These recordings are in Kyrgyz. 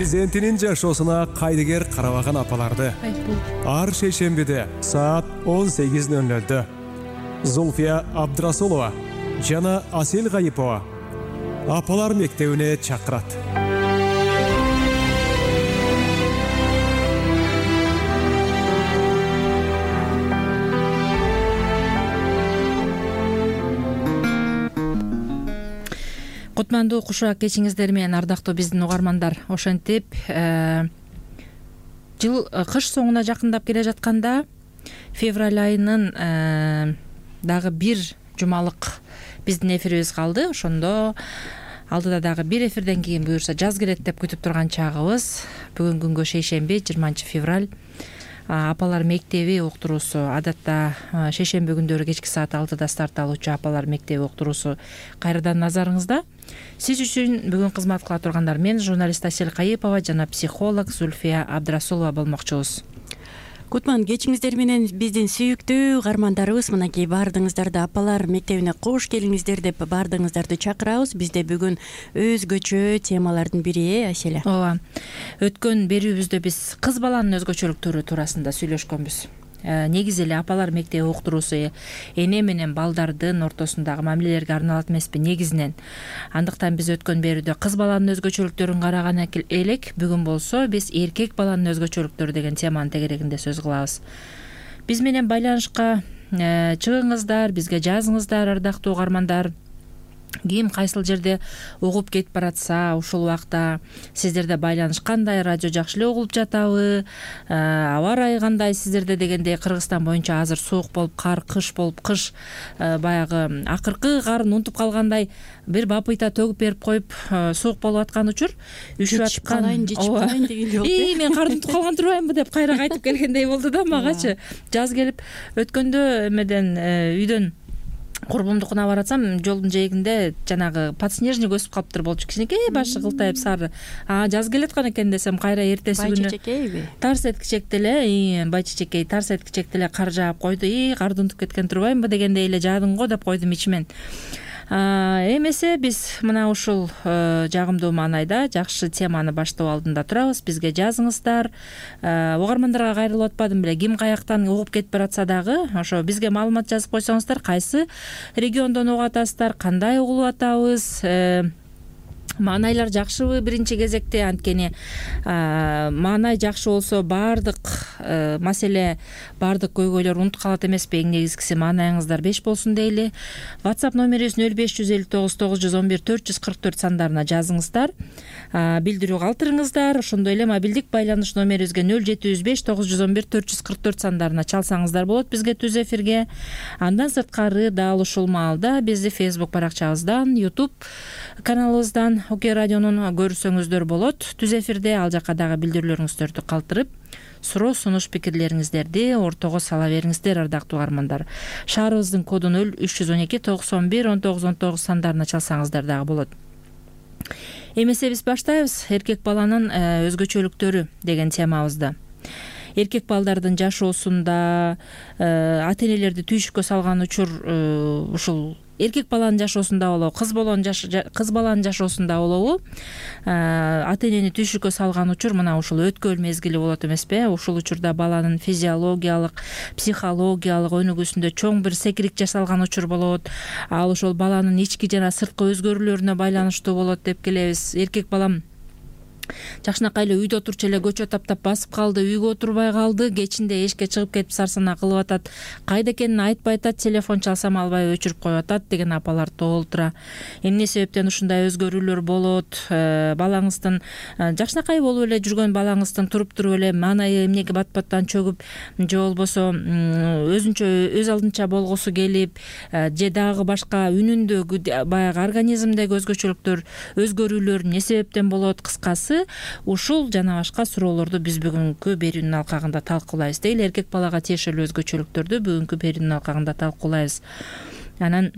перзентинин жашоосуна кайдыгер карабаган апаларды ар шейшембиде саат 18:00 Зульфия Абдрасулова жана Асел Гайипова апалар мектебине чакырат. Кутмандуу кушак кечиңиздер менен ардактуу биздин угармандар. Ошентип жыл кыш соңуна жакындап келе жатканда февраль айынын дагы бир жумалык биздин эфирибиз калды. Ошондо алдыда дагы бир эфирден кийин буюрса жаз келет деп күтүп турган чагыбыз. Бүгүнкү күнгө шейшемби 20 февраль апалар мектеби уктуруусу. Адатта шейшемби күндөрү кечки саат 6-да старт алуучу апалар мектеби уктуруусу кайрадан назарыңызда. Сиз үчүн бүгүн кызмат кыла тургандар мен журналист Асел Гайипова жана психолог Зульфия Абдрасулова болмокчубуз. Кутман кечиңиздер менен биздин сүйүктүү угармандарыбыз, мынакей баардыгыңыздарды апалар мектебине кош келиңиздер деп баардыгыңыздарды чакырабыз. Бизде бүгүн өзгөчө темалардын бири, Аселя. Ооба. Өткөн берүүбүздө биз кыз баланын өзгөчөлүктөрү туурасында сүйлөшкөнбүз. Негизи эле апалар мектеби уктуруусу эне менен балдардын ортосундагы мамилелерге арналат эмеспи негизинен. Андыктан биз өткөн берүүдө кыз баланын өзгөчөлүктөрүн караган элек. Бүгүн болсо биз эркек баланын өзгөчөлүктөрү деген теманын тегерегинде сөз кылабыз. Биз менен байланышка чыгыңыздар, бизге жазыңыздар, ардактуу угармандар. Ким кайсыл жерде угуп кетип баратса, ушул убакта сиздерде байланыш кандай, радио жакшы эле угулуп жатабы, аба ырайы кандай сиздерде дегендей. Кыргызстан боюнча азыр суук болуп, кыш болуп, кыш баягы акыркы карын унутуп калгандай бир бапыйта төгүп берип коюп суук болуп аткан учур. Үшүп аткан. Жечип калайын деген жок. Мен карды унутуп калган турбаймынбы деп кайра кайтып келгендей болду да магачы. Жаз келип өткөндө эмеден үйдөн курбумдукуна баратсам, жолдун жээгинде жанагы подснежник өсүп калыптыр болчу. Кичинекей башы кылтайып сары. Жаз келаткан экен десем, кайра эртеси күнү байчечекейби? Тарс эткичекте эле, байчечекей тарс эткичекте эле кар жаап койду. Карды унутуп кеткен турбаймынбы дегендей эле жаадың го деп койдум ичимен. Эмесе биз мына ушул жагымдуу маанайда жакшы теманы баштоо алдында турабыз. Бизге жазыңыздар. Угармандарга кайрылып атпадым беле. Ким каяктан угуп кетип баратса дагы, ошо бизге маалымат жазып койсоңуздар, кайсы региондон угуп атасыздар, кандай угулуп атабыз, маанайлар жакшыбы биринчи кезекте. Анткени маанай жакшы болсо баардык маселе, баардык көйгөйлөр унутуп калат эмеспи? Эң негизгиси маанайыңыздар 5 болсун дейли. WhatsApp номерибиз 0559 911 444 сандарына жазыңыздар. Билдирүү калтырыңыздар. Ошондой эле мобилдик байланыш номерибизге 0705 911 444 сандарына чалсаңыздар болот бизге түз эфирге. Андан сырткары дал ушул маалда бизди Facebook баракчабыздан, YouTube каналыбыздан ОК радионун көрсөңүздөр болот. Түз эфирде ал жака дагы билдирүүлөрүңүздөрдү калтырып, суроо, сунуш, пикирлериңиздерди ортого сала бериңиздер, ардактуу угармандар. Шаарыбыздын коду 0312 91 19 19 сандарына чалсаңыздар дагы болот. Эмесе биз баштайбыз эркек баланын өзгөчөлүктөрү деген темабызды. Эркек балдардын жашоосунда ата-энелерди түйшүккө салган учур ушул эркек баланын жашоосунда болобу, кыз баланын жашоосунда болобу, ата-энени түйшүккө салган учур мына ушул өткөл мезгили болот эмеспи? Ушул учурда баланын физиологиялык, психологиялык өнүгүүсүндө чоң бир секирик жасалган учур болот. Ал ошол баланын ички жана сырткы өзгөрүүлөрүнө байланыштуу болот деп келебиз. Эркек балам жакшынакай эле үйдө отурчу эле көчө таптап басып калды, үйгө отурбай калды, кечинде эшикке чыгып кетип сарсанаа кылып атат, кайда экенин айтпай атат, телефон чалсам албай өчүрүп коюп атат деген апалар толтура. Эмне себептен ушундай өзгөрүүлөр болот? Балаңыздын жакшынакай болуп эле жүргөн балаңыздын туруп эле маанайы эмнеге бат-баттан чөгүп, же болбосо өзүнчө өз алдынча болгусу келип, же дагы башка үнүндө баягы организмдеги өзгөчөлүктөр, өзгөрүүлөр эмне себептен болот? Кыскасы ушул жана башка суроолорду биз бүгүнкү берүүнүн алкагында талкуулайбыз дейли. Эркек балага тиешелүү өзгөчөлүктөрдү бүгүнкү берүүнүн алкагында талкуулайбыз. Анан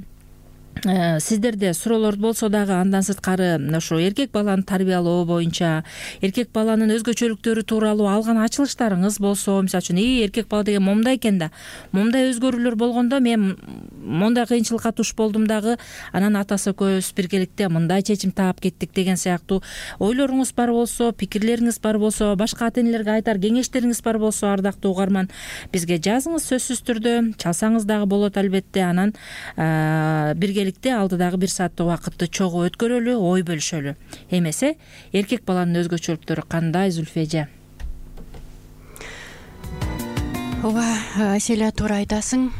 сиздерде суроолорду болсо дагы андан сырткары ошо эркек баланы тарбиялоо боюнча, эркек баланын өзгөчөлүктөрү тууралуу алган ачылыштарыңыз болсо, мисалы үчүн эркек бала деген момундай экен да, момундай өзгөрүүлөр болгондо мен мондай кыйынчылыкка туш болдум дагы, анан атасы экөөбүз биргеликте мындай чечим таап кеттик деген сыяктуу ойлоруңуз бар болсо, пикирлериңиз бар болсо, башка ата энелерге айтар кеңештериңиз бар болсо, ардактуу угарман, бизге жазыңыз сөзсүз түрдө, чалсаңыз дагы болот албетте. Анан биргеликте алдыдагы 1 сааттык убакытты чогуу өткөрөлү, ой бөлүшөлү. Эмесе эркек баланын өзгөчөлүктөрү кандай, Зүлфия эже? Ооба, Аселя, туура айтасың.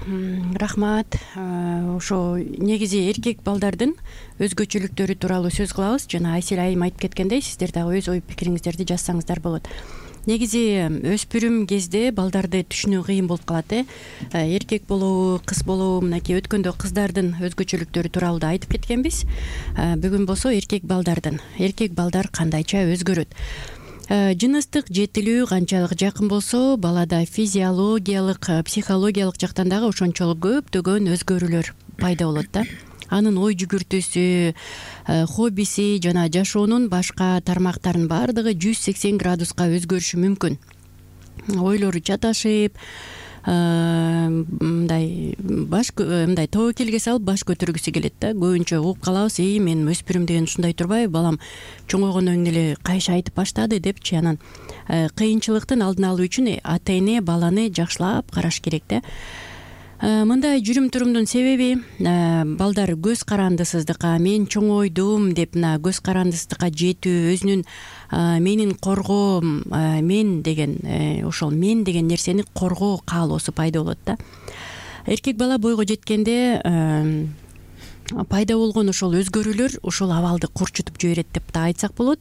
Рахмат. Ошо негизи эркек балдардын өзгөчөлүктөрү тууралуу сөз кылабыз. Жана Аселя айым айтып кеткендей, сиздер дагы өз ой пикириңиздерди жазсаңыздар болот. Негизи өспүрүм кезде балдарды түшүнүү кыйын болуп калат. Эркек болобу, кыз болобу, мынакей өткөндө кыздардын өзгөчөлүктөрү тууралуу да айтып кеткенбиз. Бүгүн болсо эркек балдар кандайча өзгөрөт. Жыныстык жетилүү канчалык жакын болсо, балада физиологиялык, психологиялык жактан дагы ошончолук көптөгөн өзгөрүүлөр пайда болот да. Анын ой жүгүртүүсү, хоббиси жана жашоонун башка тармактарынын баардыгы 180 градуска өзгөрүшү мүмкүн. Ойлору чаташып, мындай тобокелге салып баш көтөргүсү келет да. Көбүнчө угуп калабыз, мен өспүрүм деген ушундай турбайбы, балам чоңойгондон кийин эле кайша айтып баштады депчи. Анан кыйынчылыктын алдын алуу үчүн ата эне баланы жакшылап караш керек да. Мындай жүрүм турумдун себеби балдар көз карандысыздыкка, мен чоңойдум деп мына көз карандысыздыкка жетүү, өзүнүн менин коргоом, мен деген ошол мен деген нерсени коргоо каалоосу пайда болот да. Эркек бала бойго жеткенде пайда болгон ошол өзгөрүүлөр ошол абалды курчутуп жиберет деп да айтсак болот.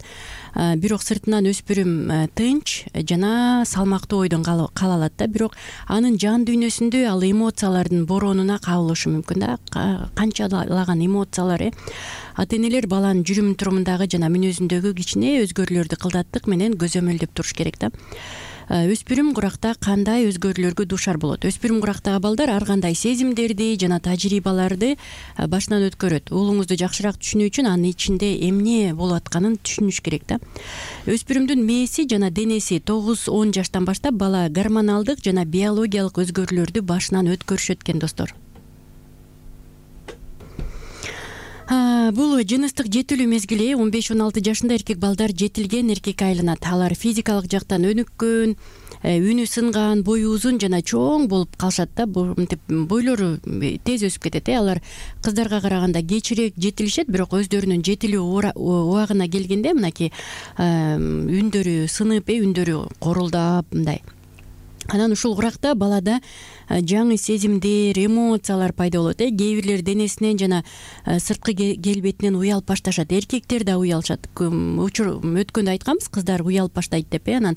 Бирок сыртынан өспүрүм тынч жана салмактуу ойдон кала алат да. Бирок анын жан дүйнөсүндө ал эмоциялардын боронуна кабылышы мүмкүн да. Канчалаган эмоциялар. Ата энелер баланын жүрүм турумундагы жана мүнөзүндөгү кичине өзгөрүүлөрдү кылдаттык менен көзөмөлдөп туруш керек да. Өспүрүм куракта кандай өзгөрүүлөргө дуушар болот? Өспүрүм курактагы балдар ар кандай сезимдерди жана тажрыйбаларды башынан өткөрөт. Уулуңузду жакшыраак түшүнүү үчүн анын ичинде эмне болуп атканын түшүнүш керек да. Өспүрүмдүн мээси жана денеси 9-10 жаштан баштап бала гормоналдык жана биологиялык өзгөрүүлөрдү башынан өткөрүшөт экен, достор. Бул жыныстык жетилүү мезгили 15-16 жашында эркек балдар жетилген эркекке айланат. Алар физикалык жактан өнүккөн, үнү сынган, бою узун жана чоң болуп калышат да. Бойлору тез өсүп кетет. Алар кыздарга караганда кечирээк жетилишет, бирок өздөрүнүн жетилүү убагына келгенде мынакей үндөрү сынып, үндөрү корулдап мындай. Анан ушул уракта балада жаңы сезимдер, эмоциялар пайда болот. Кээ бирлер денесинен жана сырткы келбетинен уялып башташат. Эркектер да уялышат. Өткөндө айтканбыз, кыздар уялып баштайт деп. Анан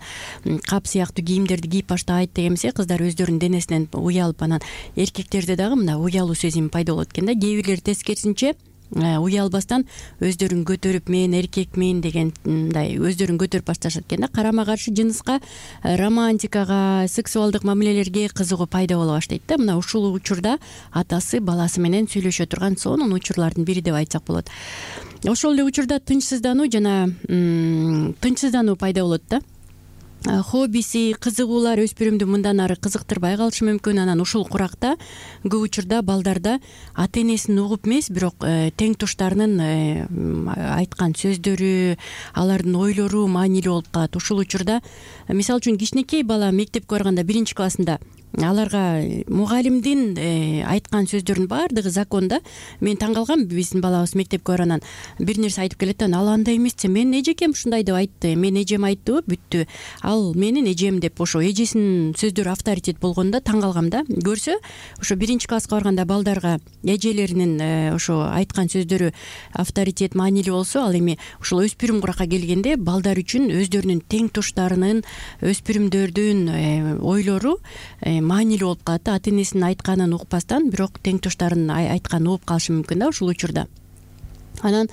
кап сыяктуу кийимдерди кийип баштайт деген эмесе, кыздар өздөрүнүн денесинен уялып, анан эркектерде дагы мына уялуу сезими пайда болот экен да. Кээ бирлер тескерисинче уялбастан өздөрүн көтөрүп, мен эркекмин деген мындай өздөрүн көтөрүп башташат экен да. Карама каршы жыныска, романтикага, сексуалдык мамилелерге кызыгуу пайда боло баштайт да. Мына ушул учурда атасы баласы менен сүйлөшө турган сонун учурлардын бири деп айтсак болот. Ошол эле учурда тынчсыздануу пайда болот да. Хоббиси, кызыгуулар өспүрүмдү мындан ары кызыктырбай калышы мүмкүн. Анан ушул куракта көп учурда балдарда ата энесин угуп эмес, бирок тең туштарынын айткан сөздөрү, алардын ойлору маанилүү болуп калат. Ушул учурда мисалы үчүн кичинекей бала мектепке барганда 1-классында аларга мугалимдин айткан сөздөрүнүн баардыгы закон да. Мен таң калгам, биздин балабыз мектепке баргандан бир нерсе айтып келет да, ал андай эмес, менин эжекем ушундай деп айтты, мен эжем айтты, бүттү, ал менин эжем деп ошо эжесинин сөздөрү авторитет болгондо таң калгам да. Көрсө ошо 1-класска барганда балдарга эжелеринин ошо айткан сөздөрү авторитет, маанилүү болсо, ал эми ушул өспүрүм куракка келгенде балдар үчүн өздөрүнүн тең туштарынын, өспүрүмдөрдүн ойлору маанилүү болуп калат. Ата энесинин айтканын укпастан, бирок тең туштарынын айтканын угуп калышы мүмкүн да ушул учурда. Анан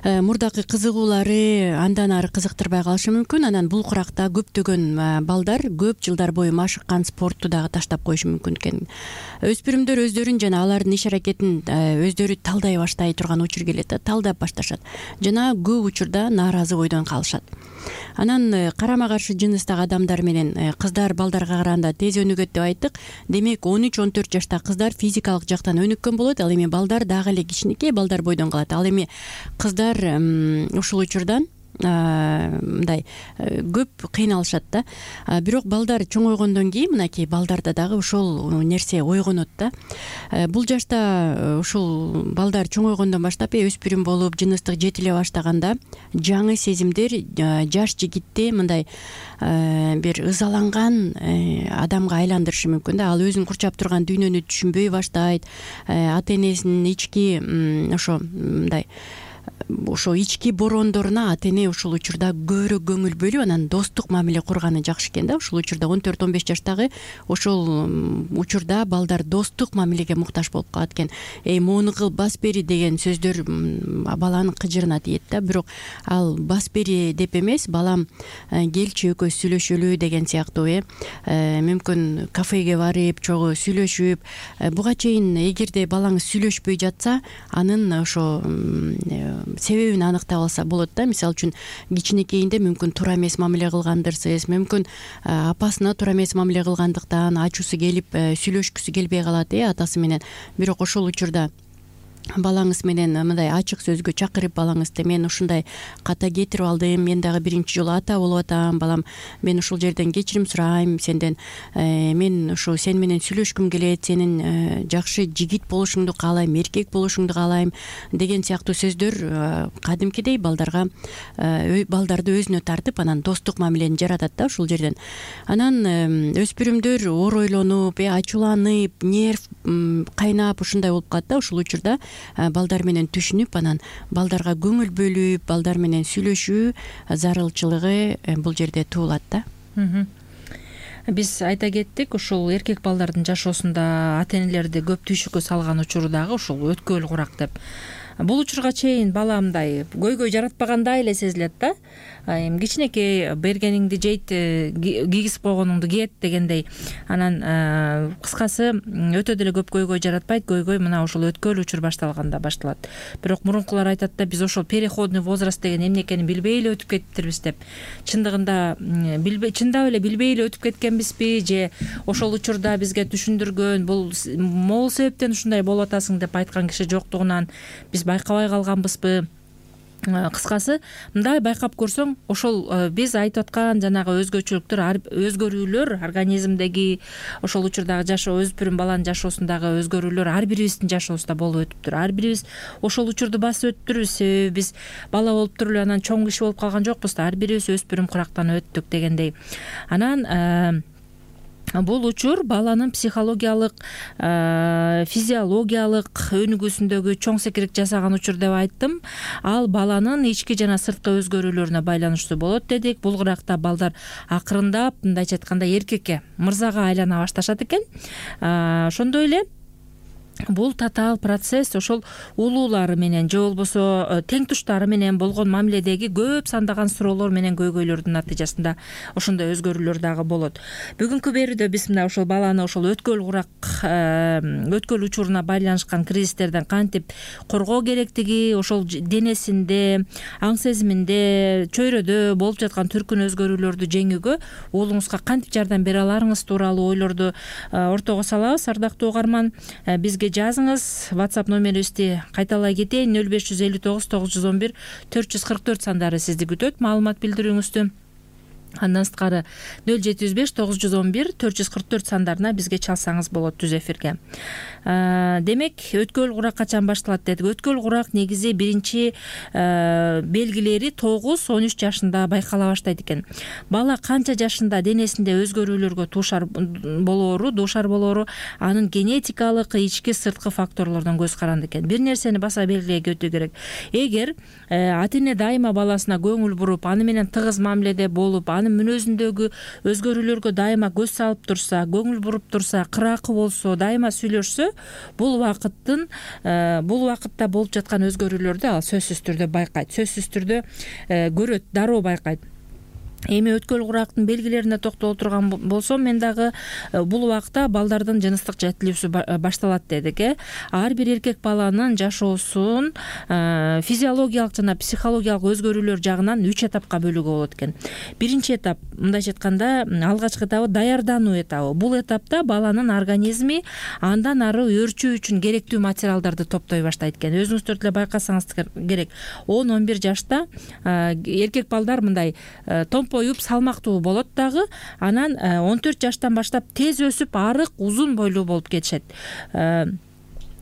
мурдакы кызыгуулары андан ары кызыктырбай калышы мүмкүн. Анан бул куракта көптөгөн балдар көп жылдар бою машыккан спортту дагы таштап коюшу мүмкүн экен. Өспүрүмдөр өздөрүн жана алардын иш аракетин өздөрү талдай баштай турган учур келет да, талдап башташат жана көп учурда нааразы бойдон калышат. Анан карама каршы жыныстагы адамдар менен кыздар балдарга караганда тез өнүгөт деп айттык. Демек 13-14 жаштагы кыздар физикалык жактан өнүккөн болот. Ал эми балдар дагы эле кичинекей балдар бойдон калат. Ал эми кыздар ушул учурдан мындай көп кыйналышат да. Бирок балдар чоңойгондон кийин мынакей балдарда дагы ошол нерсе ойгонот да. Бул жашта ушул балдар чоңойгондон баштап өспүрүм болуп жыныстык жетиле баштаганда жаңы сезимдер жаш жигитти мындай бир ызаланган адамга айландырышы мүмкүн да. Ал өзүн курчап турган дүйнөнү түшүнбөй баштайт. Ата энесинин ички ошо ички бороондоруна ата эне ушул учурда көбүрөөк көңүл бөлүп анан достук мамиле курганы жакшы экен да. Ушул учурда 14-15 жаштагы ошол учурда балдар достук мамилеге муктаж болуп калат экен. Моуну кыл, бас бери деген сөздөр баланын кыжырына тиет да. Бирок ал бас бери деп эмес, балам келчи экөөбүз сүйлөшөлү деген сыяктуу мүмкүн кафеге барып чогуу сүйлөшүп, буга чейин эгерде балаңыз сүйлөшпөй жатса, анын ошо себебин аныктап алса болот да. Мисалы үчүн кичинекейинде мүмкүн туура эмес мамиле кылгандырсыз, мүмкүн апасына туура эмес мамиле кылгандыктан ачуусу келип сүйлөшкүсү келбей калат атасы менен. Бирок ошол учурда балаңыз менен мындай ачык сөзгө чакырып, балаңызды мен ушундай ката кетирип алдым, мен дагы биринчи жолу ата болуп атам, балам мен ушул жерден кечирим сурайм сенден, мен ушу сен менен сүйлөшкүм келет, сенин жакшы жигит болушуңду каалайм, эркек болушуңду каалайм деген сыяктуу сөздөр кадимкидей балдарды өзүнө тартып анан достук мамилени жаратат да ушул жерден. Анан өспүрүмдөр оройлонуп, ачууланып, нерв кайнап ушундай болуп калат да. Ушул учурда балдар менен түшүнүп, анан балдарга көңүл бөлүп, балдар менен сүйлөшүү зарылчылыгы бул жерде туулат да. Биз айта кеттик, ушул эркек балдардын жашоосунда ата энелерди көп түйшүккө салган учуру дагы ушул өткөл курак деп. Бул учурга чейин бала мындай көйгөй жаратпагандай эле сезилет да. Эми кичинекей бергениңди жейт, кийгизип койгонуңду кийет дегендей. Анан кыскасы өтө деле көп көйгөй жаратпайт. Көйгөй мына ушул өткөл учур башталганда башталат. Бирок мурункулар айтат да, биз ошол переходный возраст деген эмне экенин билбей эле өтүп кетиптирбиз деп. Чындыгында чындап эле билбей эле өтүп кеткенбизби, же ошол учурда бизге түшүндүргөн бул могул себептен ушундай болуп атасың деп айткан киши жоктугунан биз байкабай калганбызбы? Кыскасы мындай байкап көрсөң, ошол биз айтып аткан жанагы өзгөчөлүктөр, өзгөрүүлөр организмдеги ошол учурдагы жашоо, өспүрүм баланын жашоосундагы өзгөрүүлөр ар бирибиздин жашообузда болуп өтүптүр. Ар бирибиз ошол учурду басып өтүптүрбүз. Себеби биз бала болуп туруп эле анан чоң киши болуп калган жокпуз да. Ар бирибиз өспүрүм курактан өттүк дегендей. Анан бул учур баланын психологиялык, физиологиялык өнүгүүсүндөгү чоң секирик жасаган учур деп айттым. Ал баланын ички жана сырткы өзгөрүүлөрүнө байланыштуу болот дедик. Бул куракта балдар акырындап, мындайча айтканда, эркекке, мырзага айлана башташат экен. Ошондой эле бул татаал процесс ошол улуулары менен же болбосо тең туштары менен болгон мамиледеги көп сандаган суроолор менен көйгөйлөрдүн натыйжасында ошондой өзгөрүүлөр дагы болот. Бүгүнкү берүүдө биз мына ошол баланы ошол өткөл курак, өткөл учуруна байланышкан кризистерден кантип коргоо керектиги, ошол денесинде, аң сезиминде, чөйрөдө болуп жаткан түркүн өзгөрүүлөрдү жеңүүгө уулуңузга кантип жардам бере аларыңыз тууралуу ойлорду ортого салабыз. Ардактуу угарман, бизге жазыңыз. WhatsApp номерибизди кайталай кетейин: 0559 911 444 сандары сизди күтөт маалымат билдирүүңүздү. Андан сырткары 0705 911 444 сандарына бизге чалсаңыз болот түз эфирге. Демек, өткөл курак качан башталат дедик. Өткөл курак негизи биринчи белгилери 9-13 жашында байкала баштайт экен. Бала канча жашында денесинде өзгөрүүлөргө дуушар болоору анын генетикалык, ички сырткы факторлордон көз каранды экен. Бир нерсени баса белгилей кетүү керек. Эгер ата эне дайыма баласына көңүл буруп, аны менен тыгыз мамиледе болуп, аны анын мүнөзүндөгү өзгөрүүлөргө дайыма көз салып турса, көңүл буруп турса, кыракы болсо, дайыма сүйлөшсө, бул убакытта болуп жаткан өзгөрүүлөрдү ал сөзсүз түрдө байкайт, сөзсүз түрдө көрөт, дароо байкайт. Эми өткөл курактын белгилерине токтоло турган болсом, мен дагы бул убакта балдардын жыныстык жетилүүсү башталат дедик. Ар бир эркек баланын жашоосун физиологиялык жана психологиялык өзгөрүүлөр жагынан 3 этапка бөлүүгө болот экен. Биринчи этап, мындайча айтканда, алгачкы этабы даярдануу этабы. Бул этапта баланын организми андан ары өөрчүү үчүн керектүү материалдарды топтой баштайт экен. Өзүңүздөр деле байкасаңыз керек, 10-11 жашта эркек балдар мындай томпоюп салмактуу болот дагы, анан 14 жаштан баштап тез өсүп, арык, узун бойлуу болуп кетишет.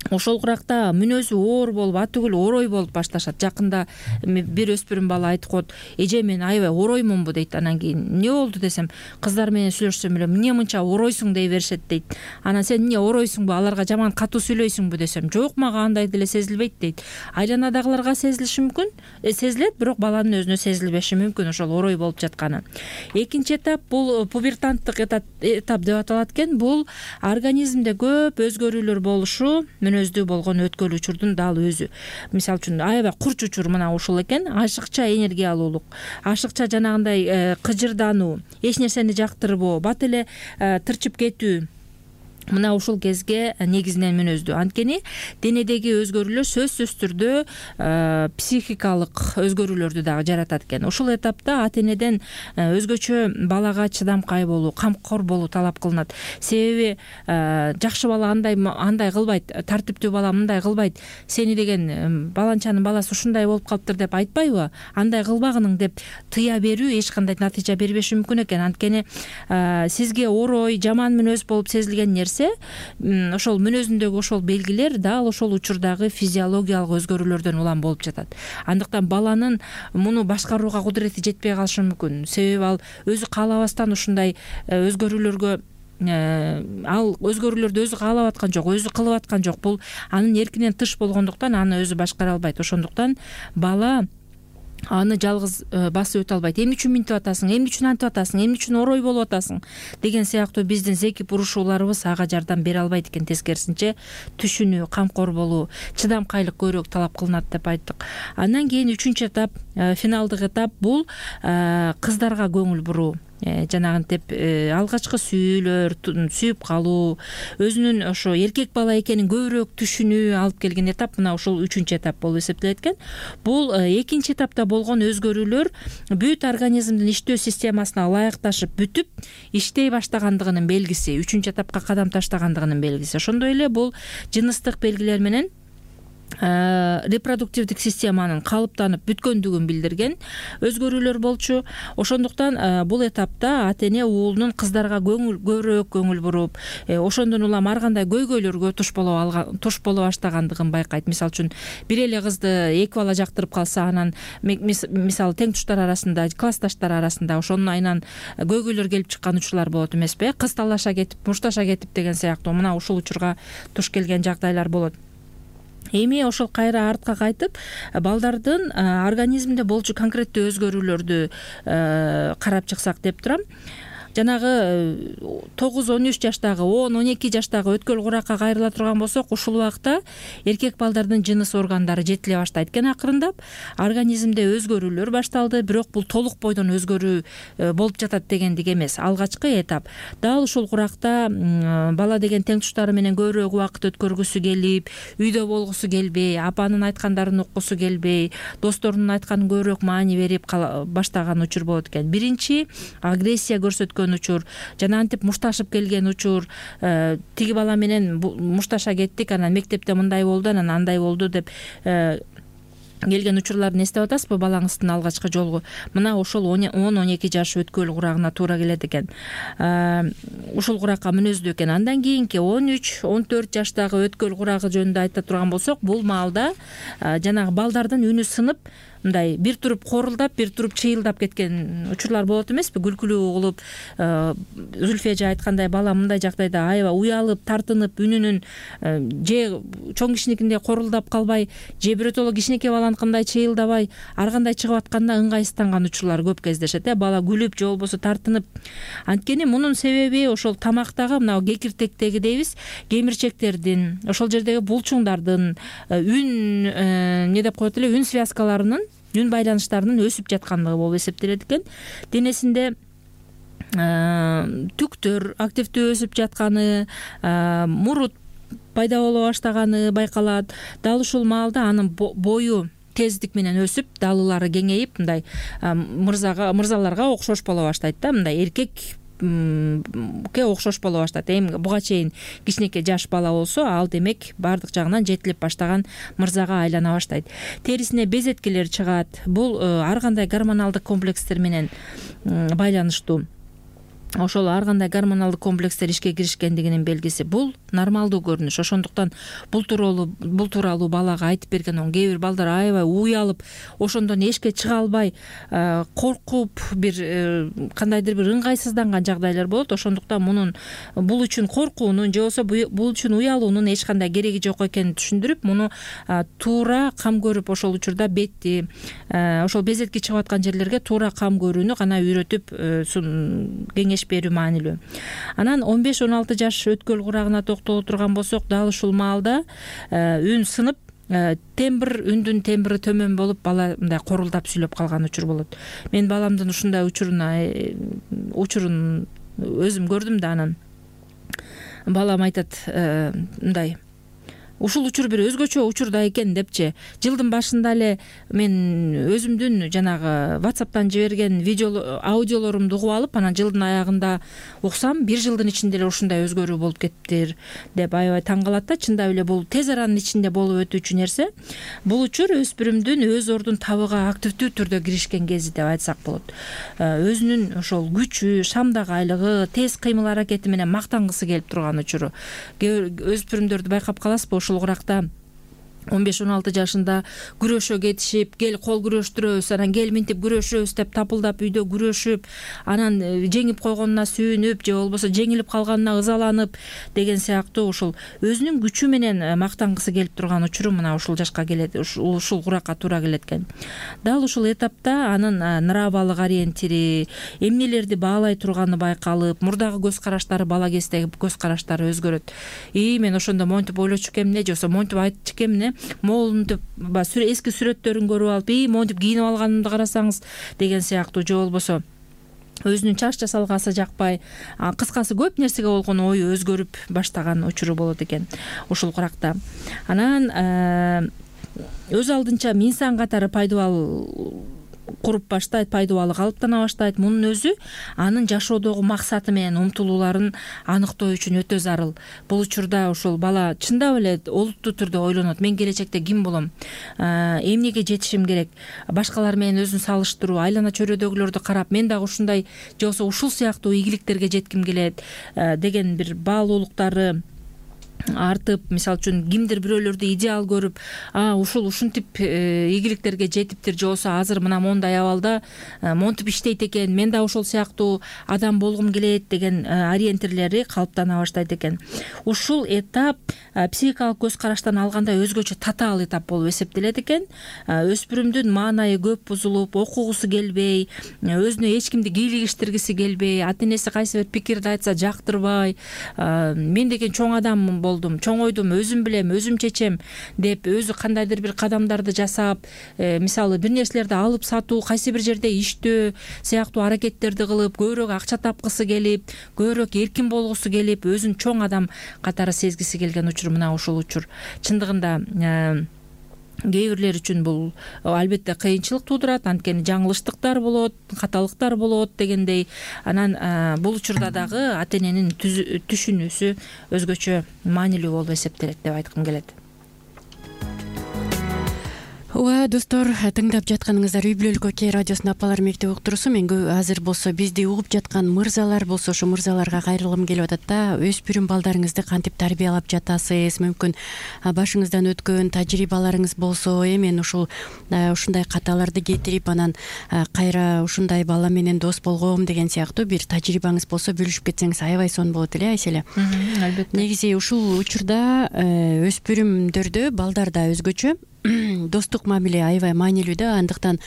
Ошол куракта мүнөзү оор болуп, атүгүл орой болуп башташат. Жакында бир өспүрүм бала айтып коет: "Эже, мен аябай ороймунбу?" дейт. Анан кийин "Эмне болду?" десем, "Кыздар менен сүйлөшсөм эле, эмне мынча оройсуң?" дей беришет дейт. Анан "Сен эмне оройсуңбу? Аларга жаман катуу сүйлөйсүңбү?" десем, "Жок, мага андай деле сезилбейт" дейт. Айланадагыларга сезилиши мүмкүн, сезилет, бирок баланын өзүнө сезилбеши мүмкүн ошол орой болуп жатканы. Экинчи этап бул пубертанттык этап деп аталат экен. Бул организмде көп өзгөрүүлөр болушу, мүнөздүү болгон өткөл учурдун дал өзү. Мисалы үчүн аябай курч учур мына ушул экен. Ашыкча энергия алуулук, ашыкча жанагындай кыжырдануу, эч нерсени жактырбоо, бат эле тырчып кетүү. Мына ушул кезге негизинен мүнөздүү. Анткени денедеги өзгөрүүлөр сөзсүз түрдө психикалык өзгөрүүлөрдү дагы жаратат экен. Ушул этапта ата-энеден өзгөчө балага чыдамкай болуу, камкор болуу талап кылынат. Себеби жакшы бала андай кылбайт, тартиптүү бала мындай кылбайт. Сени деген баланчанын баласы ушундай болуп калыптыр деп айтпайбы? Андай кылбагының деп тыя берүү эч кандай натыйжа бербеши мүмкүн экен. Анткени сизге орой, жаман мүнөз болуп сезилген нерсе, ошол мүнөзүндөгү ошол белгилер дал ошол учурдагы физиологиялык өзгөрүүлөрдөн улам болуп жатат. Андыктан баланын муну башкарууга кудурети жетпей калышы мүмкүн. Себеби ал өзү каалабастан ушундай өзгөрүүлөргө ал өзгөрүүлөрдү өзү каалап аткан жок, өзү кылып аткан жок. Бул анын эркинен тыш болгондуктан аны өзү башкара албайт. Ошондуктан бала аны жалгыз басып өтө албайт. Эмне үчүн минтип атасың, эмне үчүн антип атасың, эмне үчүн орой болуп атасың деген сыяктуу биздин зеки бурушууларыбыз ага жардам бере албайт экен. Тескерисинче түшүнүү, камкор болуу, чыдамкайлык көбүрөөк талап кылынат деп айттык. Андан кийин 3-чү этап, финалдык этап бул кыздарга көңүл буруу. Жанагынтип алгачкы сүйүп калуу, өзүнүн ошо эркек бала экенин көбүрөөк түшүнүү алып келген этап мына ушул 3-чү этап болуп эсептелет экен. Бул экинчи этапта болгон өзгөрүүлөр бүт организмдин иштөө системасына ылайыкташып бүтүп иштей баштагандыгынын белгиси, 3-чү этапка кадам таштагандыгынын белгиси. Ошондой эле бул жыныстык белгилер менен репродуктивдик системанын калыптанып бүткөндүгүн билдирген өзгөрүүлөр болчу. Ошондуктан бул этапта ата-эне уулунун кыздарга көбүрөөк көңүл буруп, ошондон улам ар кандай көйгөйлөргө туш боло баштагандыгын байкайт. Мисалы үчүн бир эле кызды эки бала жактырып калса, анан мисалы тең туштар арасында, классташтар арасында ошонун айынан көйгөйлөр келип чыккан учурлар болот эмеспи? Кыз талаша кетип, мушташа кетип деген сыяктуу мына ушул учурга туш келген жагдайлар болот. Эми ошол кайра артка кайтып, балдардын организминде болчу конкреттүү өзгөрүүлөрдү карап чыксак деп турам. Жанагы 9-13 жаштагы, 10-12 жаштагы өткөл куракка кайрыла турган болсок, ушул убакта эркек балдардын жыныс органдары жетиле баштайт экен акырындап. Организмде өзгөрүүлөр башталды, бирок бул толук бойдон өзгөрүү болуп жатат дегендик эмес. Алгачкы этап. Дал ушул куракта бала деген тең туштары менен көбүрөөк убакыт өткөргүсү келип, үйдө болгусу келбей, апанын айткандарын уккусу келбей, досторунун айтканын көбүрөөк маани берип баштаган учур болот экен. Биринчи агрессия көрсөткөн учур, жана антип мушташып келген учур, тиги бала менен мушташа кеттик, анан мектепте мындай болду, анан андай болду деп келген учурларды эстеп атасызбы балаңыздын алгачкы жолу? Мына ошол 10-12 жаш өткөл курагына туура келет экен. Ушул куракка мүнөздүү экен. Андан кийинки 13-14 жаштагы өткөл курагы жөнүндө айта турган болсок, бул маалда жанагы балдардын үнү сынып, мындай бир туруп корулдап, бир туруп чыйылдап кеткен учурлар болот эмеспи? Күлкүлүү кылып, Зүлфия жа айткандай, бала мындай жагдайда аябай уялып, тартынып, үнүнүн же чоң кишиникиндей корулдап калбай, же биротоло кичинекей баланыкындай чыйылдабай, ар кандай чыгып атканда ыңгайсызданган учурлар көп кездешет. Бала күлүп же болбосо тартынып. Анткени мунун себеби ошол тамактагы мына кекиртектеги дейбиз, кемирчектердин, ошол жердеги булчуңдардын, үн эмне деп коет эле, үн связкаларынын, үн байланыштарынын өсүп жаткандыгы болуп эсептелет экен. Денесинде түктөр активдүү өсүп жатканы, мурут пайда боло баштаганы байкалат. Дал ушул маалда анын бою тездик менен өсүп, далылары кеңейип, мындай мырзаларга окшош боло баштайт да, мындай эркекке окшош боло баштайт. Эми буга чейин кичинекей жаш бала болсо, ал демек баардык жагынан жетилип баштаган мырзага айлана баштайт. Терисине безеткелер чыгат. Бул ар кандай гормоналдык комплекстер менен байланыштуу. Ошол ар кандай гормоналдык комплекстер ишке киришкендигинин белгиси. Бул нормалдуу көрүнүш. Ошондуктан бул тууралуу балага айтып берген, кээ бир балдар аябай уялып, ошондон эшикке чыга албай, коркуп, бир кандайдыр бир ыңгайсызданган жагдайлар болот. Ошондуктан бул үчүн коркуунун же болбосо бул үчүн уялуунун эч кандай кереги жок экенин түшүндүрүп, муну туура кам көрүп, ошол учурда бетти, ошол безетки чыгып аткан жерлерге туура кам көрүүнү гана үйрөтүп кеңеш берүү маанилүү. Анан 15-16 жаш өткөл курагына токтоло турган болсок, дал ушул маалда үн сынып, тембр, үндүн тембри төмөн болуп, бала мындай корулдап сүйлөп калган учур болот. Мен баламдын ушундай учурун өзүм көрдүм да, анан балам айтат мындай, ушул учур бир өзгөчө учур да экен депчи. Жылдын башында эле мен өзүмдүн жанагы WhatsApp'тан жиберген аудиолорумду угуп алып, анан жылдын аягында уксам, бир жылдын ичинде эле ушундай өзгөрүү болуп кеттир деп аябай таң калат да. Чындап эле бул тез аранын ичинде болуп өтүүчү нерсе. Бул учур өспүрүмдүн өз ордун табууга активдүү түрдө киришкен кези деп айтсак болот. Өзүнүн ошол күчү, шамдагайлыгы, тез кыймыл аракети менен мактангысы келип турган учуру. Өспүрүмдөрдү байкап каласызбы? Ушул уракта 15-16 жашында күрөшө кетишип, кел кол күрөштүрөбүз, анан кел минтип күрөшөбүз деп тапылдап үйдө күрөшүп, анан жеңип койгонуна сүйүнүп же болбосо жеңилип калганына ызаланып деген сыяктуу ушул өзүнүн күчү менен мактангысы келип турган учуру мына ушул жашка келет, ушул уракка туура келет экен. Дал ушул этапта анын нравалык ориентири, эмнелерди баалай турганы байкалып, мурдагы көз караштары бала кездеги көз караштары өзгөрөт. Мен ошондо монтип ойлочу экемне, же болбосо монтип айтчу экемне, моолунтуп эски сүрөттөрүн көрүп алып, монтип кийинип алганымды карасаңыз деген сыяктуу, же болбосо өзүнүн чач жасалгасы жакпай, кыскасы көп нерсеге болгон ою өзгөрүп баштаган учуру болот экен ушул уракта. Анан өз алдынча инсан катары пайдубал куруп баштайт, пайдубалы калыптана баштайт. Мунун өзү анын жашоодогу максаты менен умтулууларын аныктоо үчүн өтө зарыл. Бул учурда ушул бала чындап эле олуттуу түрдө ойлонот. Мен келечекте ким болом? Эмнеге жетишим керек? Башкалар менен өзүн салыштыруу, айлана чөйрөдөгүлөрдү карап, мен дагы ушундай же болбосо ушул сыяктуу ийгиликтерге жетким келет деген бир баалуулуктары артып, мисалы үчүн кимдир бирөөлөрдү идеал көрүп, ушинтип ийгиликтерге жетиптир, же болбосо азыр мына мондай абалда монтип иштейт экен, мен да ошол сыяктуу адам болгум келет деген ориентирлери калыптана баштайт экен. Ушул этап психикалык көз караштан алганда өзгөчө татаал этап болуп эсептелет экен. Өспүрүмдүн маанайы көп бузулуп, окугусу келбей, өзүнө эч кимди кийлигиштиргиси келбей, ата энеси кайсы бир пикирди айтса жактырбай, мен деген чоң адам болдум, чоң ойдум, өзүм билем, өзүм чечем деп өзү кандайдыр бир кадамдарды жасап, мисалы бир нерселерди алып сатуу, кайсы бир жерде иштөө сыяктуу аракеттерди кылып, көбүрөөк акча тапкысы келип, көбүрөөк эркин болгусу келип, өзүн чоң адам катары сезгиси келген учур мына ушул учур. Чындыгында кээ бирлер үчүн бул албетте кыйынчылык туудурат, анткени жаңылыштыктар болот, каталыктар болот дегендей. Анан бул учурда дагы ата эненин түшүнүүсү өзгөчө маанилүү болуп эсептелет деп айткым келет. Ооба достор, тыңдап жатканыңыздар Үй бүлөлүк окей радиосунун апалар мектеби уктуруусу. Мен азыр болсо бизди угуп жаткан мырзалар болсо ошо мырзаларга кайрылгым келип атат да. Өспүрүм балдарыңызды кантип тарбиялап жатасыз? Мүмкүн башыңыздан өткөн тажрыйбаларыңыз болсо, мен ушундай каталарды кетирип анан кайра ушундай бала менен дос болгом деген сыяктуу бир тажрыйбаңыз болсо бөлүшүп кетсеңиз аябай сонун болот эле, Айселе. Албетте. Негизи ушул учурда өспүрүмдөрдө, балдарда өзгөчө достук мамиле аябай маанилүү да. Андыктан